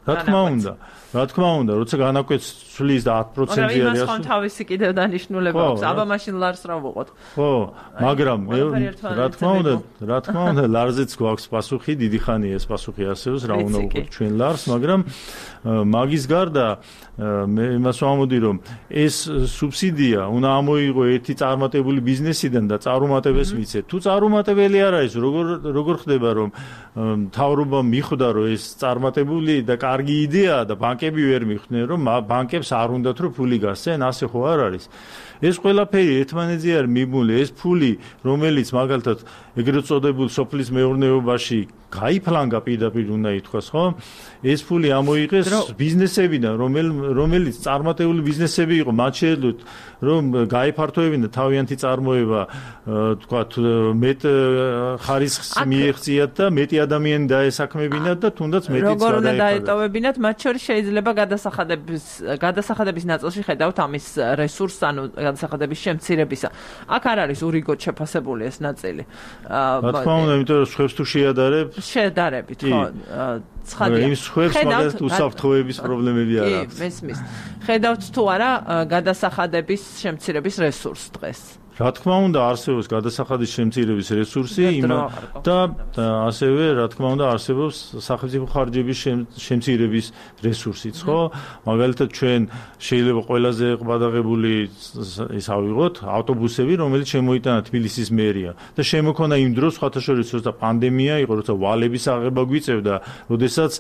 რა თქმა უნდა, როცა განაკვეთს ცვლის და 10%-ი არის. მაგრამ იმას ხომ თავისი კიდევ დანიშნულება აქვს. აბა მაშინ ლარს რა ვუყოთ. ხო, მაგრამ რა თქმა უნდა, ლარზეც გვაქვს პასუხი, დიდი ხანია ეს პასუხი არსებობს, რა უნდა ვუყოთ ჩვენ ლარს, მაგრამ მაგის გარდა მე იმას ვამოდი, რომ ეს სუბსიდია უნდა ამოიღო ერთი წარმატებული ბიზნესიდან და წარუმატებელს მიცეთ. თუ წარუმატებელი არ არის, როგორ ხდება, რომ მთავრობა მიხვდა, რომ ეს წარმატებული და კარგი იდეაა და ბანკები ვერ მიხვდნენ, რომ ბანკებს არ უნდათ რომ ფული გასცენ, ასე ხო არ არის? ეს ყველაფერი ერთმანეთზე არ მიბმული, ეს ფული, რომელიც მაგალითად ეგრეთ წოდებულ სოფლის მეურნეობაში გაიფლანგა პირდაპირ უნდა ითქვას, ხო? ეს ფული ამოიღეს ბიზნესებიდან, რომელიც წარმატებული ბიზნესები იყო, მათ შეეძლოთ რომ გაიფართოებინა თავიანთი წარმოება, თქვათ, მეტ ხარისხს მიეღწიათ და მეტი ადამიანი დაესაქმებინათ და თუნდაც მეტიც გადაეყარათ. როგორ უნდა დაეტოვებინათ, მათ შორის შეიძლება გადასახადების ნაწილში ხედავთ ამის რესურსს, ანუ გადასახადების შემცირებისა. აქ არ არის ურიგოდ შეფასებული ეს ნაწილი. რა თქმა უნდა, იმიტომ რომ სხვებს თუ შეადარებით, ხო? ცხადია. იმ სხვებს მაგალითად უსაფრთხოების პრობლემები არ აქვს. მესმის. ხედავთ თუ არა გადასახადების შემცირების რესურსს დღეს? რა თქმა უნდა, არსებობს გადასახადის შემცირების რესურსი და ასევე რა თქმა უნდა არსებობს სახელმწიფო ხარჯების შემცირების რესურსიც, ხო? მაგალითად ჩვენ შეიძლება ყველაზე ყბადაღებული ის ავიღოთ ავტობუსები, რომელიც შემოიტანა თბილისის მერია და შემოქონა იმ დროს, სხვათა შორის, როცა პანდემია იყო, როცა ვალების აღება გვიწევდა, როდესაც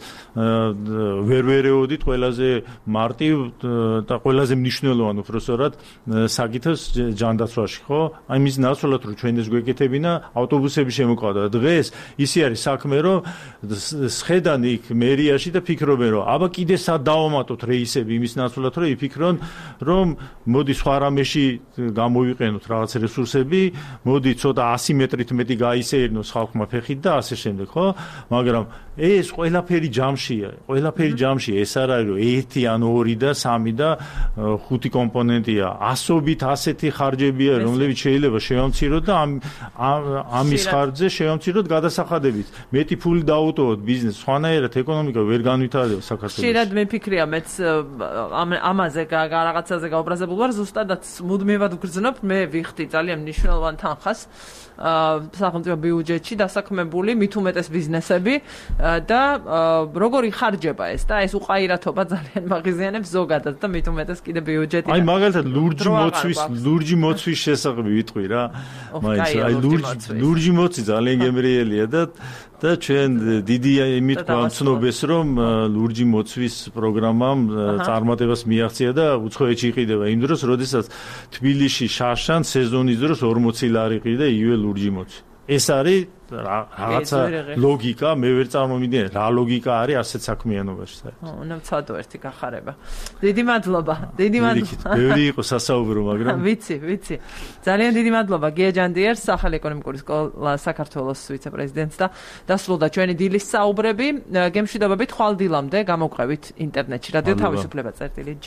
ვერ ვერეოდით ყველაზე მარტივ და ყველაზე მნიშვნელოვან უბრალოდ საკითხს ჯანდაცვაში. ხო? აი მის ნაცვლად რომ ჩვენ ეს გვეკეთებინა, ავტობუსები შემოყავდა. დღეს ისი არის საქმე, რომ სხედან იქ მერიაში და ფიქრობენ, რომ აბა კიდე სად დავამატოთ რეისები იმის ნაცვლად, რომ იფიქრონ, რომ მოდი სხვა რამეში გამოვიყენოთ რაღაც რესურსები, მოდი ცოტა 100 მეტრით მეტი გაისეირნოს ხალხმა ფეხით და ასე შემდეგ, ხო? მაგრამ ეს ყველაფერი ჯამშია, ეს არ არის რომ 1 ან 2 და 3 და 5 კომპონენტია, ასობით ასეთი ხარჯებია, რომლებიც შეიძლება შევამციროთ და ამის ხარჯზე შევამციროთ გადასახადებით. მეტი ფული დაუტოვოთ ბიზნესს, სხვანაირად ეკონომიკა ვერ განვითარდება საქართველოში. ხშირად მიფიქრია მეც ამაზე რაღაცაზე გაუბრაზებულ ვარ, ზუსტადაც მუდმივად ვგრძნობ, მე ვიხდი ძალიან მნიშვნელოვან თანხას სახელმწიფო ბიუჯეტში დასაქმებული მით უმეტეს ბიზნესები და როგორი ხარჯება ეს და ეს უყაირათობა ძალიან მაღიზიანებს ზოგადად და მით უმეტეს კიდე ბიუჯეტი. აი მაგალითად ლურჯი მოცვის შესახებ ვიტყვი რა. მაინც აი ლურჯი მოცი ძალიან გემრიელია და ჩვენ დიდი იმით გვამცნობს რომ ლურჯი მოცვის პროგრამამ წარმატებას მიაღწია და უცხოეთში იყიდება იმ დროს, როდესაც თბილისში შარშან სეზონის დროს 40 ლარი ყიდა იგივე ლურჯი მოცი. ეს არის რაღაცა ლოგიკა, მე ვერ წარმომიდგენ რა ლოგიკა არის ასეთ საქმიანობაში საერთოდ. უნდა ვცადო ერთი გახარება. დიდი მადლობა. ბევრი იყო სასაუბრო, მაგრამ ვიცი. ძალიან დიდი მადლობა გია ჯანდიერს, სახალი ეკონომიკური სკოლა საქართველოს ვიცე-პრეზიდენტს და დასრულდა ჩვენი დილის საუბრები. გემშვიდობებით ხვალ დილამდე გამოვყევით ინტერნეტში. რადიო თავისუფლება წერტილი.G.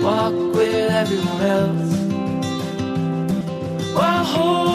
Walk with everyone else while holding